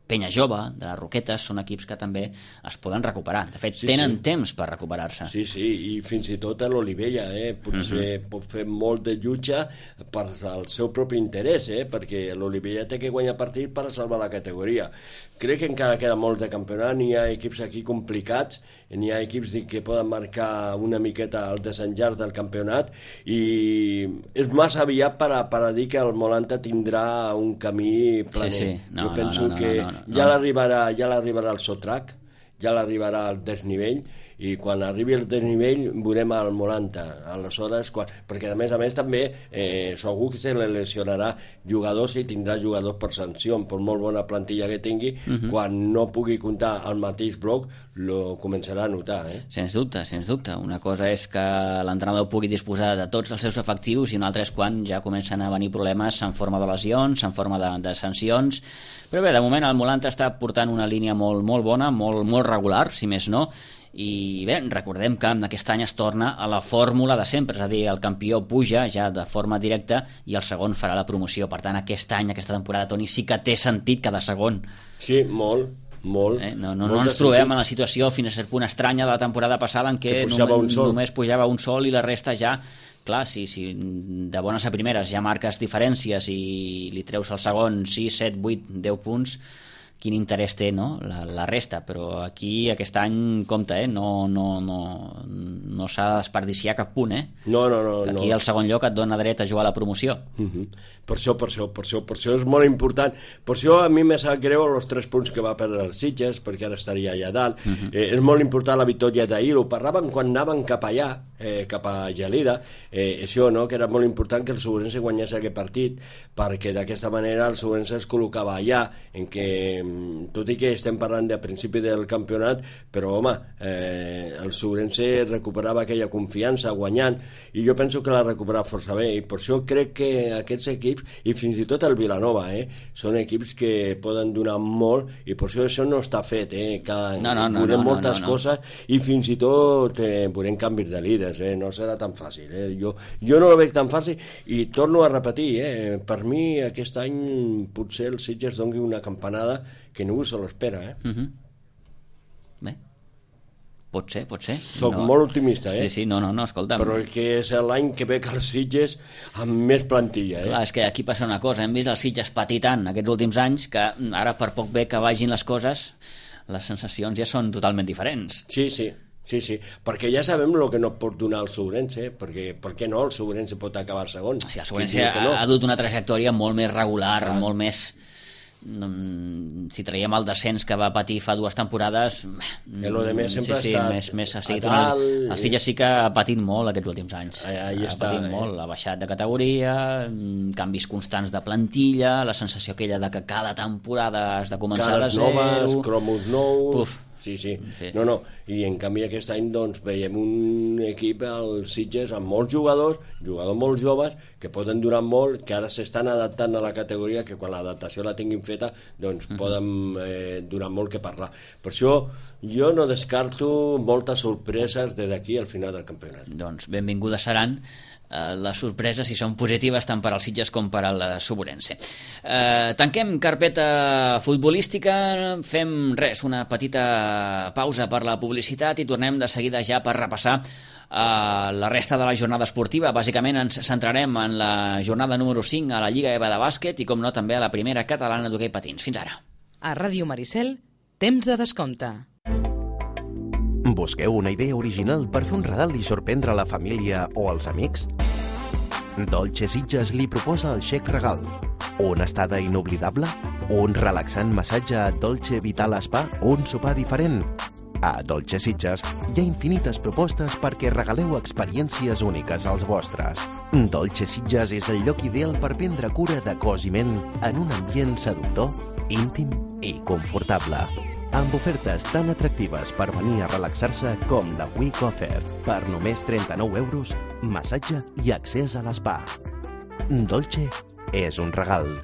Penya Jove, de les Roquetes, són equips que també es poden recuperar. De fet, sí, tenen sí. temps per recuperar-se. Sí, sí, i fins i tot a l'Olivella, eh? Potser uh -huh. pot fer molt de jutge per al seu propi interès, eh? Perquè l'Olivella té que guanyar partit per a salvar la categoria. Crec que encara queda molt de campionat, n'hi ha equips aquí complicats, n'hi ha equips que poden marcar una miqueta el desenllaç del campionat, i és massa aviat per a, per a dir que el Molanta tindrà un camí planer. Sí, sí. No, jo penso no, no, que no, no, no, no. ja l'arribarà ja l'arribarà el sotrac, ja l'arribarà el desnivell, i quan arribi el desnivell veurem el Molanta. Aleshores, quan... perquè a més a més també eh, segur que se li lesionarà jugadors i tindrà jugadors per sanció, per molt bona plantilla que tingui, uh -huh. quan no pugui comptar al mateix bloc lo començarà a notar. Eh? Sens dubte, sens dubte. Una cosa és que l'entrenador pugui disposar de tots els seus efectius i una altra és quan ja comencen a venir problemes en forma de lesions, en forma de, de sancions. Però bé, de moment el Molanta està portant una línia molt, molt bona, molt, molt regular, si més no, i bé, recordem que aquest any es torna a la fórmula de sempre, és a dir, el campió puja ja de forma directa i el segon farà la promoció. Per tant, aquest any, aquesta temporada, Toni, sí que té sentit cada segon. Sí, molt, molt. Eh? No, no, no ens trobem sentit. En la situació fins a cert punt estranya de la temporada passada en què que només, només pujava un sol i la resta ja... Clar, si, si de bones a primeres ja marques diferències i li treus al segon sis, set, vuit, deu punts, quin interès té, no?, la, la resta. Però aquí aquest any, compte, eh? no, no, no, no s'ha de desperdiciar cap punt, eh? No, no, no. Que aquí no. el segon lloc et dona dret a jugar a la promoció. Uh-huh. Per això, per això, per això, per això és molt important. Per això a mi me sap greu els tres punts que va perdre els Sitges, perquè ara estaria allà dalt. Uh-huh. eh, és molt important la victòria d'ahir. Ho parlaven quan anaven cap allà, eh, cap a Gelida, eh, això, no?, que era molt important que el Segurense guanyés aquest partit, perquè d'aquesta manera el Segurense es col·locava allà, en què, tot i que estem parlant de principi del campionat, però home, eh, el Segurense recuperava aquella confiança guanyant, i jo penso que l'ha recuperat força bé, i per això crec que aquests equips, i fins i tot el Vilanova, eh, són equips que poden donar molt, i per això això no està fet, eh, que no, no, no, veurem no, moltes no, no. coses, i fins i tot eh, veurem canvis de líders, eh, no serà tan fàcil, eh. jo, jo no ho veig tan fàcil, i torno a repetir, eh, per mi aquest any potser el Sitges doni una campanada que ningú se l'espera, eh? Uh-huh. Bé, pot ser, pot ser. Soc no. molt optimista, eh? Sí, sí, no, no, no, escolta'm. Però que és l'any que ve que els Sitges amb més plantilla, eh? Clar, és que aquí passa una cosa, hem vist els Sitges patir tant aquests últims anys que ara per poc bé que vagin les coses, les sensacions ja són totalment diferents. Sí, sí. Sí, sí, perquè ja sabem el que no pot donar el Segurense, perquè per què no el Segurense pot acabar segon? Sí, el Segurense ha, no? ha dut una trajectòria molt més regular, ah. molt més... Si traiem el descens que va patir fa dues temporades... El de més sempre sí, sí, ha estat més, més, sí, a dalt... Una... El Sitges sí que ha patit molt aquests últims anys. Allà, allà ha està, patit eh? molt, ha baixat de categoria, canvis constants de plantilla, la sensació aquella de que cada temporada has de començar Cares de zero... noves, cromos nous... Puf. Sí, sí, sí. No, no. I en canvi aquest any doncs, veiem un equip al Sitges amb molts jugadors, jugadors molt joves, que poden durar molt, que ara s'estan adaptant a la categoria, que quan l'adaptació la tinguin feta, doncs uh-huh. poden eh, durar molt que parlar. Per això jo no descarto moltes sorpreses des d'aquí al final del campionat. Doncs benvingudes seran les sorpreses, si són positives tant per als Sitges com per al Subrense. Eh, tanquem carpeta futbolística, fem res, una petita pausa per la publicitat i tornem de seguida ja per repassar eh, la resta de la jornada esportiva. Bàsicament ens centrarem en la jornada número cinc a la Lliga E V A de bàsquet i, com no, també a la primera catalana d'hoquei patins. Fins ara. A Ràdio Maricel, temps de descompte. Busqueu una idea original per fer un regal i sorprendre la família o els amics? Dolce Sitges li proposa el xec regal. Una estada inoblidable? Un relaxant massatge a Dolce Vital Spa o un sopar diferent? A Dolce Sitges hi ha infinites propostes perquè regaleu experiències úniques als vostres. Dolce Sitges és el lloc ideal per prendre cura de cos i ment en un ambient seductor, íntim i confortable. Amb ofertes tan atractives per venir a relaxar-se com la Week Offer. Per només trenta-nou euros, massatge i accés a l'espa. Dolce és un regal.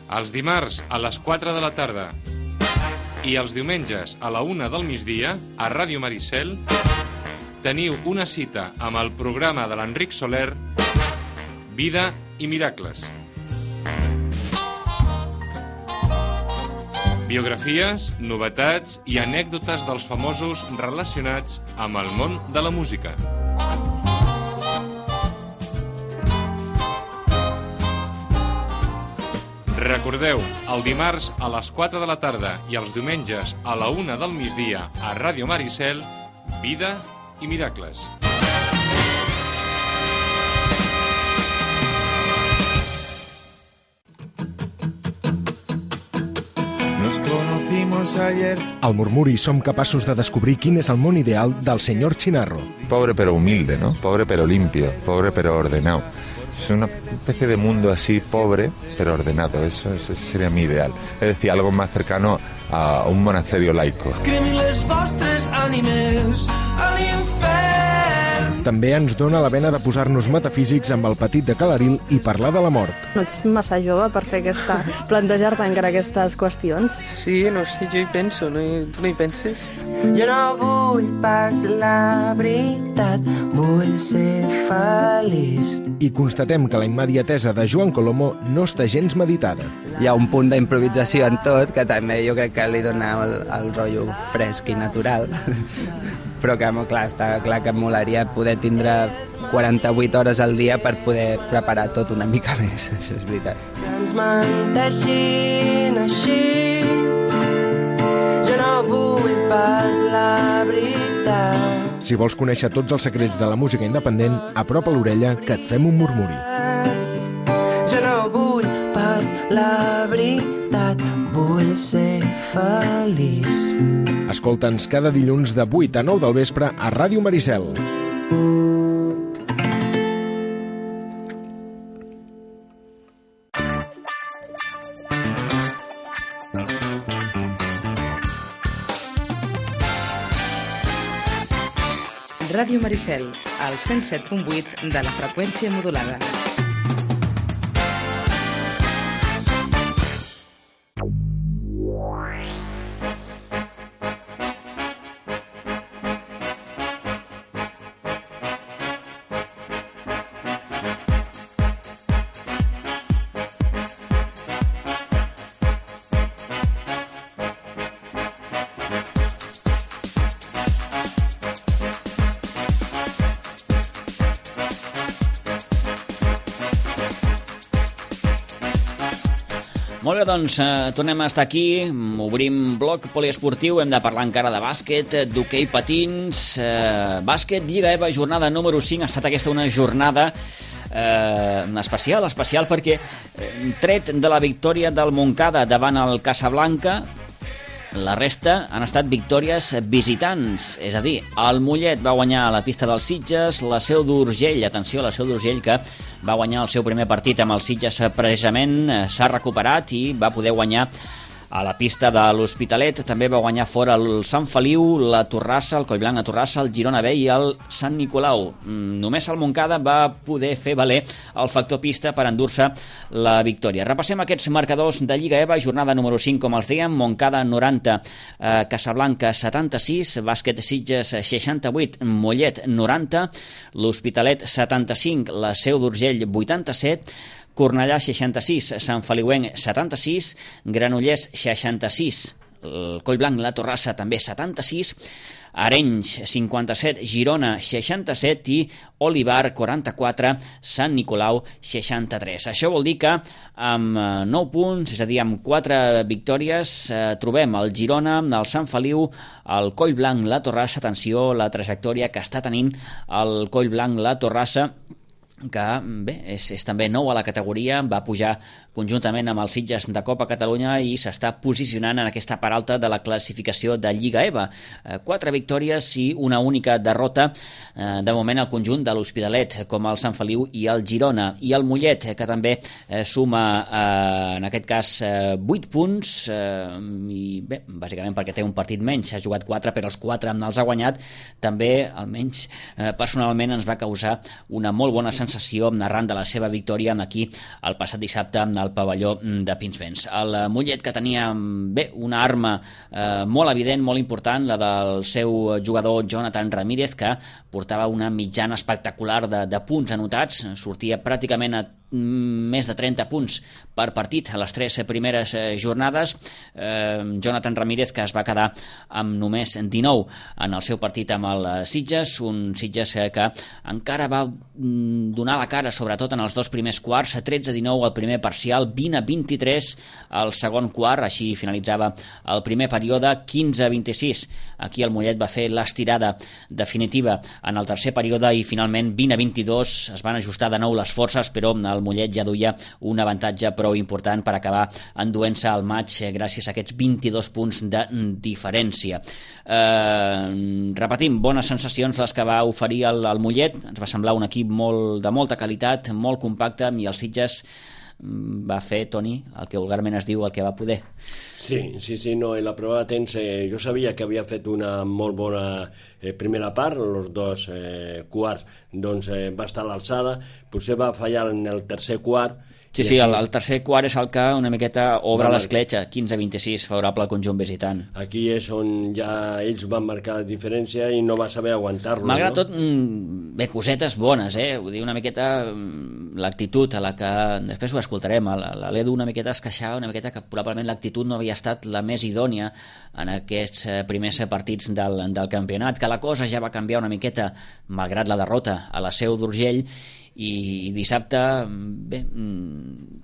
Els dimarts a les quatre de la tarda i els diumenges a la una del migdia a Ràdio Maricel teniu una cita amb el programa de l'Enric Soler Vida i Miracles. Biografies, novetats i anècdotes dels famosos relacionats amb el món de la música. Recordeu, el dimarts a les quatre de la tarda i els diumenges a la una del migdia a Ràdio Maricel, Vida i Miracles. Nos conocimos ayer. Al Murmuri som capaços de descobrir quin és el món ideal del senyor Chinarro. Pobre pero humilde, ¿no? Pobre pero limpio, pobre pero ordenado. Es una especie de mundo así pobre pero ordenado, eso, eso sería mi ideal. Es decir, algo más cercano a un monasterio laico. Les vostres ànimes a l'infern. També ens dona la vena de posar-nos metafísics amb el petit de Calaril i parlar de la mort. No ets massa jove per fer aquesta, plantejar-te encara aquestes qüestions? Sí, no sé, jo hi penso, no hi, tu no hi penses? Jo no vull pas la veritat, vull ser feliç. I constatem que la immediatesa de Joan Colomo no està gens meditada. Hi ha un punt d'improvisació en tot que també jo crec que li dona el, el rotllo fresc i natural. Però que, clar, està clar que molaria poder tindre quaranta-vuit hores al dia per poder preparar tot una mica més, això és veritat. Que ens menteixin així, jo no vull pas la veritat. Si vols conèixer tots els secrets de la música independent, apropa l'orella que et fem un murmuri. Jo no vull pas la veritat, vull ser feliç. Escolta'ns cada dilluns de vuit a nou del vespre a Ràdio Maricel. Ràdio Maricel, al cent set punt vuit de la freqüència modulada. Molt bé, doncs eh, tornem a estar aquí, obrim bloc poliesportiu, hem de parlar encara de bàsquet, d'hoquei patins, eh, bàsquet, Lliga EVA, jornada número cinc, ha estat aquesta una jornada eh, especial, especial perquè eh, tret de la victòria del Montcada davant el Casablanca, la resta han estat victòries visitants, és a dir, el Mollet va guanyar a la pista dels Sitges, la Seu d'Urgell, atenció, la Seu d'Urgell que va guanyar el seu primer partit amb els Sitges precisament, s'ha recuperat i va poder guanyar a la pista de l'Hospitalet. També va guanyar fora el Sant Feliu, la Torrassa, el Collblanc, la Torrassa, el Girona B i el Sant Nicolau. Només el Montcada va poder fer valer el factor pista per endur-se la victòria. Repassem aquests marcadors de Lliga EVA, jornada número cinc, com els dèiem, Montcada noranta, eh, Casablanca setanta-sis, Bàsquet Sitges seixanta-vuit, Mollet noranta, l'Hospitalet setanta-cinc, la Seu d'Urgell vuitanta-set, Cornellà seixanta-sis, Sant Feliuenc setanta-sis, Granollers seixanta-sis, el Collblanc, la Torrassa també setanta-sis, Arenys cinquanta-set, Girona seixanta-set i Olivar quaranta-quatre, Sant Nicolau seixanta-tres. Això vol dir que amb nou punts, és a dir, amb quatre victòries, eh, trobem el Girona, el Sant Feliu, el Collblanc, la Torrassa. Atenció, la trajectòria que està tenint el Collblanc, la Torrassa, que bé, és, és també nou a la categoria, va pujar conjuntament amb els Sitges de Copa Catalunya i s'està posicionant en aquesta part alta de la classificació de Lliga EVA. Eh, quatre victòries i una única derrota eh, de moment al conjunt de l'Hospitalet, com el Sant Feliu i el Girona. I el Mollet, que també eh, suma eh, en aquest cas eh, vuit punts eh, i bé, bàsicament perquè té un partit menys, s'ha jugat quatre però els quatre els ha guanyat, també almenys eh, personalment ens va causar una molt bona sensació arran de la seva victòria aquí el passat dissabte al pavelló de Pinsbens. El Mollet, que tenia bé una arma eh, molt evident, molt important, la del seu jugador Jonathan Ramírez, que portava una mitjana espectacular de, de punts anotats, sortia pràcticament a més de trenta punts per partit a les tres primeres jornades. eh, Jonathan Ramírez, que es va quedar amb només dinou en el seu partit amb el Sitges, un Sitges que encara va donar la cara sobretot en els dos primers quarts, tretze a dinou el primer parcial, vint a vint-i-tres el segon quart, així finalitzava el primer període, quinze a vint-i-sis aquí el Mollet va fer l'estirada definitiva en el tercer període i finalment vint a vint-i-dos es van ajustar de nou les forces, però el Mollet ja duia un avantatge prou important per acabar enduent-se al maig gràcies a aquests vint-i-dos punts de diferència. Eh, repetim, bones sensacions les que va oferir el, el Mollet, ens va semblar un equip molt, de molta qualitat, molt compacte, i el Sitges va fer, Toni, el que vulgarment es diu el que va poder. Sí, sí, sí, no, en la prova de temps eh, jo sabia que havia fet una molt bona eh, primera part, els dos eh, quarts doncs eh, va estar a l'alçada, potser va fallar en el tercer quart. Sí, sí, el, el tercer quart és el que una miqueta obre no, l'escletxa, quinze a vint-i-sis, favorable al conjunt visitant. Aquí és on ja ells van marcar la diferència i no va saber aguantar-lo. Malgrat no? tot, bé, cosetes bones, eh? Vull dir, una miqueta l'actitud a la que, després ho escoltarem, l'Edu una miqueta es queixava, una miqueta que probablement l'actitud no havia estat la més idònia en aquests primers partits del, del campionat, que la cosa ja va canviar una miqueta, malgrat la derrota a la Seu d'Urgell, i dissabte, bé,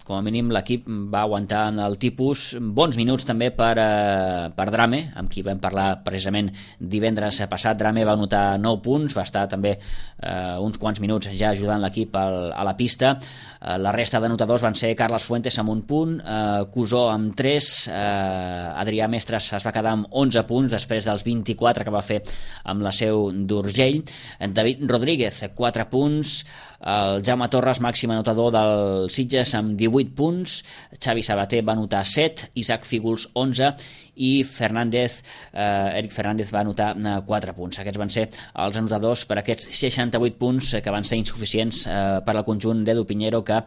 com a mínim l'equip va aguantar en el tipus, bons minuts també per, eh, per Drame, amb qui vam parlar precisament divendres passat. Drame va anotar nou punts, va estar també eh, uns quants minuts ja ajudant l'equip al, a la pista. Eh, la resta d'anotadors van ser Carles Fuentes amb un punt, eh, Cusó amb tres, eh, Adrià Mestres es va quedar amb onze punts després dels vint-i-quatre que va fer amb la Seu d'Urgell, David Rodríguez quatre punts, el Jaume Torres, màxim anotador del Sitges amb divuit punts, Xavi Sabater va anotar set, Isaac Fígols onze i Fernández, eh, Eric Fernández va anotar quatre punts. Aquests van ser els anotadors per aquests seixanta-vuit punts que van ser insuficients eh, per al conjunt d'Edu Piñero, que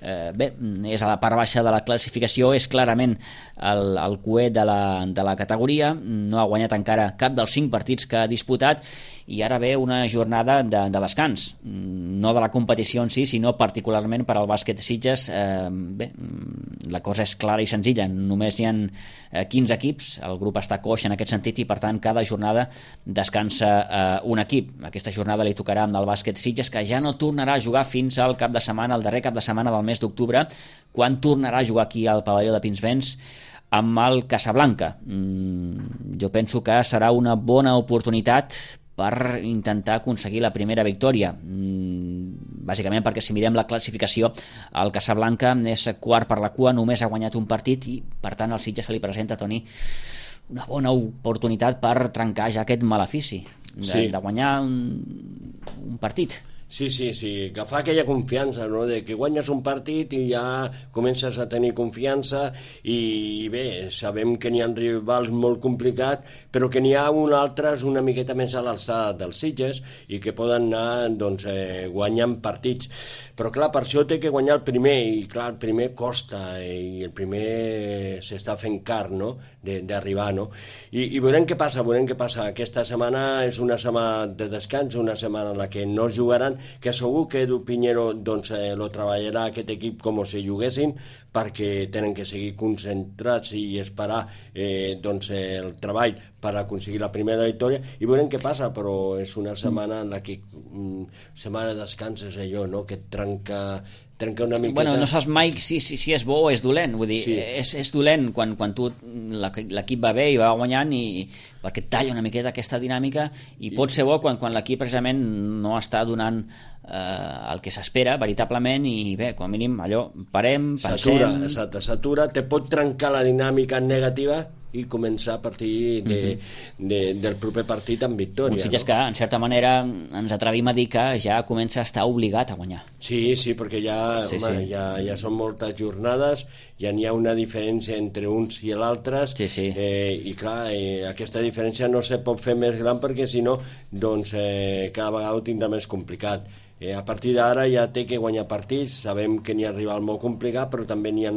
eh, bé, és a la part baixa de la classificació, és clarament el, el cué de la, de la categoria, no ha guanyat encara cap dels cinc partits que ha disputat i ara ve una jornada de, de descans, no de la competició competició en si, sinó particularment per al bàsquet Sitges. Eh, bé, la cosa és clara i senzilla, només hi ha quinze equips, el grup està coix en aquest sentit i per tant cada jornada descansa eh, un equip. Aquesta jornada li tocarà amb el bàsquet Sitges, que ja no tornarà a jugar fins al cap de setmana, el darrer cap de setmana del mes d'octubre, quan tornarà a jugar aquí al pavelló de Pinsbens amb el Casablanca. Mm, jo penso que serà una bona oportunitat per intentar aconseguir la primera victòria. Mm, bàsicament perquè si mirem la classificació, el Casablanca és quart per la cua, només ha guanyat un partit i per tant al Sitges se li presenta, Toni, una bona oportunitat per trencar ja aquest malefici de, sí. de guanyar un, un partit. Sí, sí, sí, agafar aquella confiança, no?, de que guanyes un partit i ja comences a tenir confiança i bé, sabem que n'hi ha rivals molt complicats, però que n'hi ha un altres una miqueta més a l'alçada dels Sitges i que poden anar, doncs, eh, guanyant partits. Però clar, per això té que guanyar el primer i clar, el primer costa i el primer s'està fent car, no?, d'arribar, no? I, i veurem què passa, veurem què passa. Aquesta setmana és una setmana de descans, una setmana en la que no jugaran, que segur que Edu Piñero doncs, eh, lo treballarà aquest equip com si juguessin, perquè tenen que seguir concentrats i esperar eh, doncs, eh, el treball per aconseguir la primera victòria i veurem què passa, però és una setmana en la que mm, setmana de descans és allò, no?, que et trenca trenca una miqueta... Bueno, no saps mai si, si, si és bo o és dolent, vull dir, sí. és, és dolent quan, quan tu l'equip va bé i va guanyant i perquè et talla una miqueta aquesta dinàmica i, I... pot ser bo quan, quan l'equip precisament no està donant eh, el que s'espera veritablement i bé, com a mínim allò, parem, pensem... S'atura, exacte, s'atura, te pot trencar la dinàmica negativa i començar a partir de, uh-huh. de, del proper partit amb victòria. Un Sitges no? que, en certa manera, ens atrevim a dir que ja comença a estar obligat a guanyar. Sí, sí, perquè ja, sí, home, sí. ja, ja són moltes jornades, ja n'hi ha una diferència entre uns i l'altres, sí, sí. eh, i clar, eh, aquesta diferència no se pot fer més gran perquè si no, doncs eh, cada vegada ho tindrà més complicat. Eh, a partir d'ara ja té que guanyar partits, sabem que n'hi ha rival molt complicat, però també n'hi ha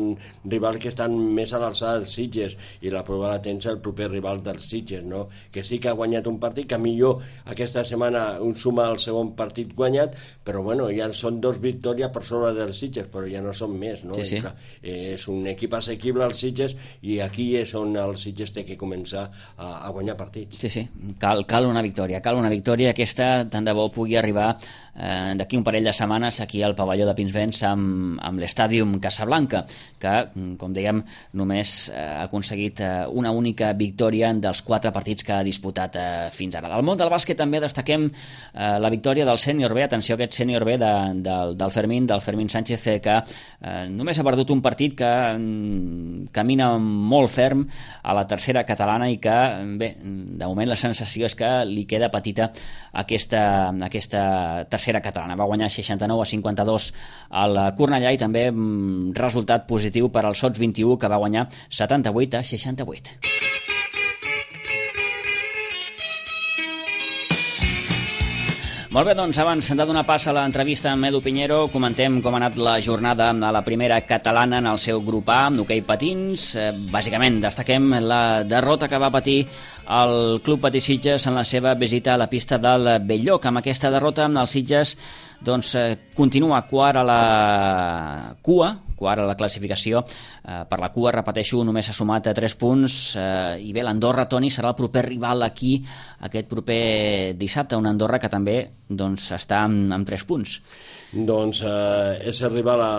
rivals que estan més a l'alçada dels Sitges, i la prova la tens el proper rival dels Sitges, no? Que sí que ha guanyat un partit, que millor aquesta setmana un suma el segon partit guanyat, però bueno, ja són dos victòries per sobre dels Sitges, però ja no són més, no? Sí, sí. Clar, eh, és un equip assequible als Sitges, i aquí és on el Sitges té que començar a, a guanyar partits. Sí, sí, cal, cal una victòria, cal una victòria, aquesta tant de bo pugui arribar eh, d'aquí un parell de setmanes aquí al pavelló de Pinsbens amb, amb l'Estàdium Casablanca, que, com dèiem, només eh, ha aconseguit eh, una única victòria dels quatre partits que ha disputat eh, fins ara. Del món del bàsquet també destaquem eh, la victòria del sènior B, atenció a aquest sènior B de, del, del Fermín, del Fermín Sánchez, eh, que eh, només ha perdut un partit que mm, camina molt ferm a la tercera catalana i que, bé, de moment la sensació és que li queda petita aquesta, aquesta tercera catalana. Va guanyar seixanta-nou a cinquanta-dos al Cornellà i també mm, resultat positiu per al Sots vint i u, que va guanyar setanta-vuit a seixanta-vuit. Molt bé, doncs abans de donar pas a l'entrevista amb Edu Piñero, comentem com ha anat la jornada a la primera catalana en el seu grup A, amb hoquei patins. Eh, bàsicament destaquem la derrota que va patir el Club Patí Sitges en la seva visita a la pista del Belllloc. Amb aquesta derrota el Sitges doncs, eh, continua quart a la cua, quart a la classificació. Eh, per la cua, repeteixo, només ha sumat a tres punts eh, i bé, l'Andorra, Toni, serà el proper rival aquí aquest proper dissabte, un Andorra que també doncs, està amb, amb tres punts. Doncs eh, és el rival a,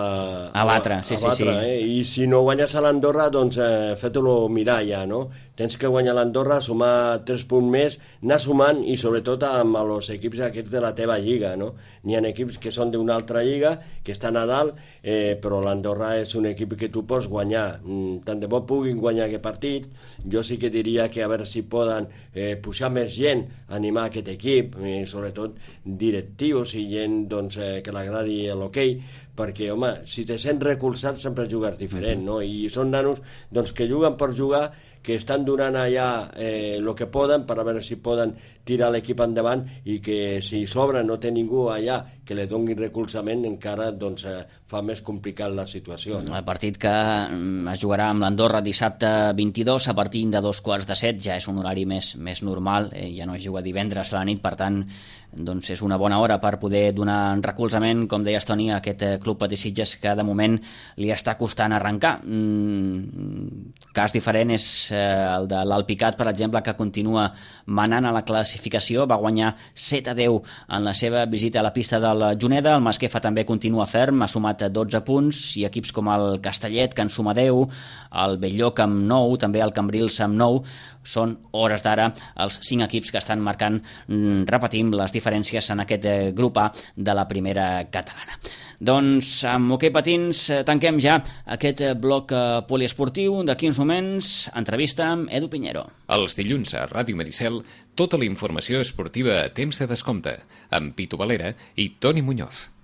a batre, sí, a batre, sí, sí. Eh? I si no guanyes a l'Andorra, doncs eh, fet-lo mirar ja, no? Tens que guanyar l'Andorra, sumar tres punts més, anar sumant i sobretot amb els equips aquests de la teva lliga, no? N'hi ha equips que són d'una altra lliga, que estan a dalt, eh, però l'Andorra és un equip que tu pots guanyar. Mm, tant de bo puguin guanyar aquest partit. Jo sí que diria que a veure si poden eh, pujar més gent, animar aquest equip, eh, sobretot directius i gent doncs, eh, que l'agradi l'hoquei, perquè, home, si te sents recolzat sempre jugues diferent, no? I són nanos doncs, que juguen per jugar, que estan donant allà eh, el que poden per a veure si poden tirar l'equip endavant i que si s'obre no té ningú allà que li doni recolzament encara doncs, eh, fa més complicat la situació. No? El partit que es jugarà amb l'Andorra dissabte vint-i-dos a partir de dos quarts de set, ja és un horari més, més normal, eh, ja no es juga divendres a la nit, per tant doncs és una bona hora per poder donar recolzament, com deies Toni, a aquest Club Patí Sitges que de moment li està costant arrencar. Mm, cas diferent és eh, el de l'Alpicat, per exemple, que continua manant a la classificació, va guanyar set a deu en la seva visita a la pista del Juneda. El Masquefa també continua ferm, ha sumat dotze punts, i equips com el Castellet, que en suma deu, el Belllloc amb nou, també el Cambrils amb nou, són hores d'ara els cinc equips que estan marcant, repetim, les diferències en aquest grup A de la primera catalana. Doncs amb Hoquei Patins tanquem ja aquest bloc poliesportiu. D'aquí uns moments, entrevista amb Edu Piñero. Els dilluns a Ràdio Maricel, tota la informació esportiva a temps de descompte, amb Pitu Valera i Toni Muñoz.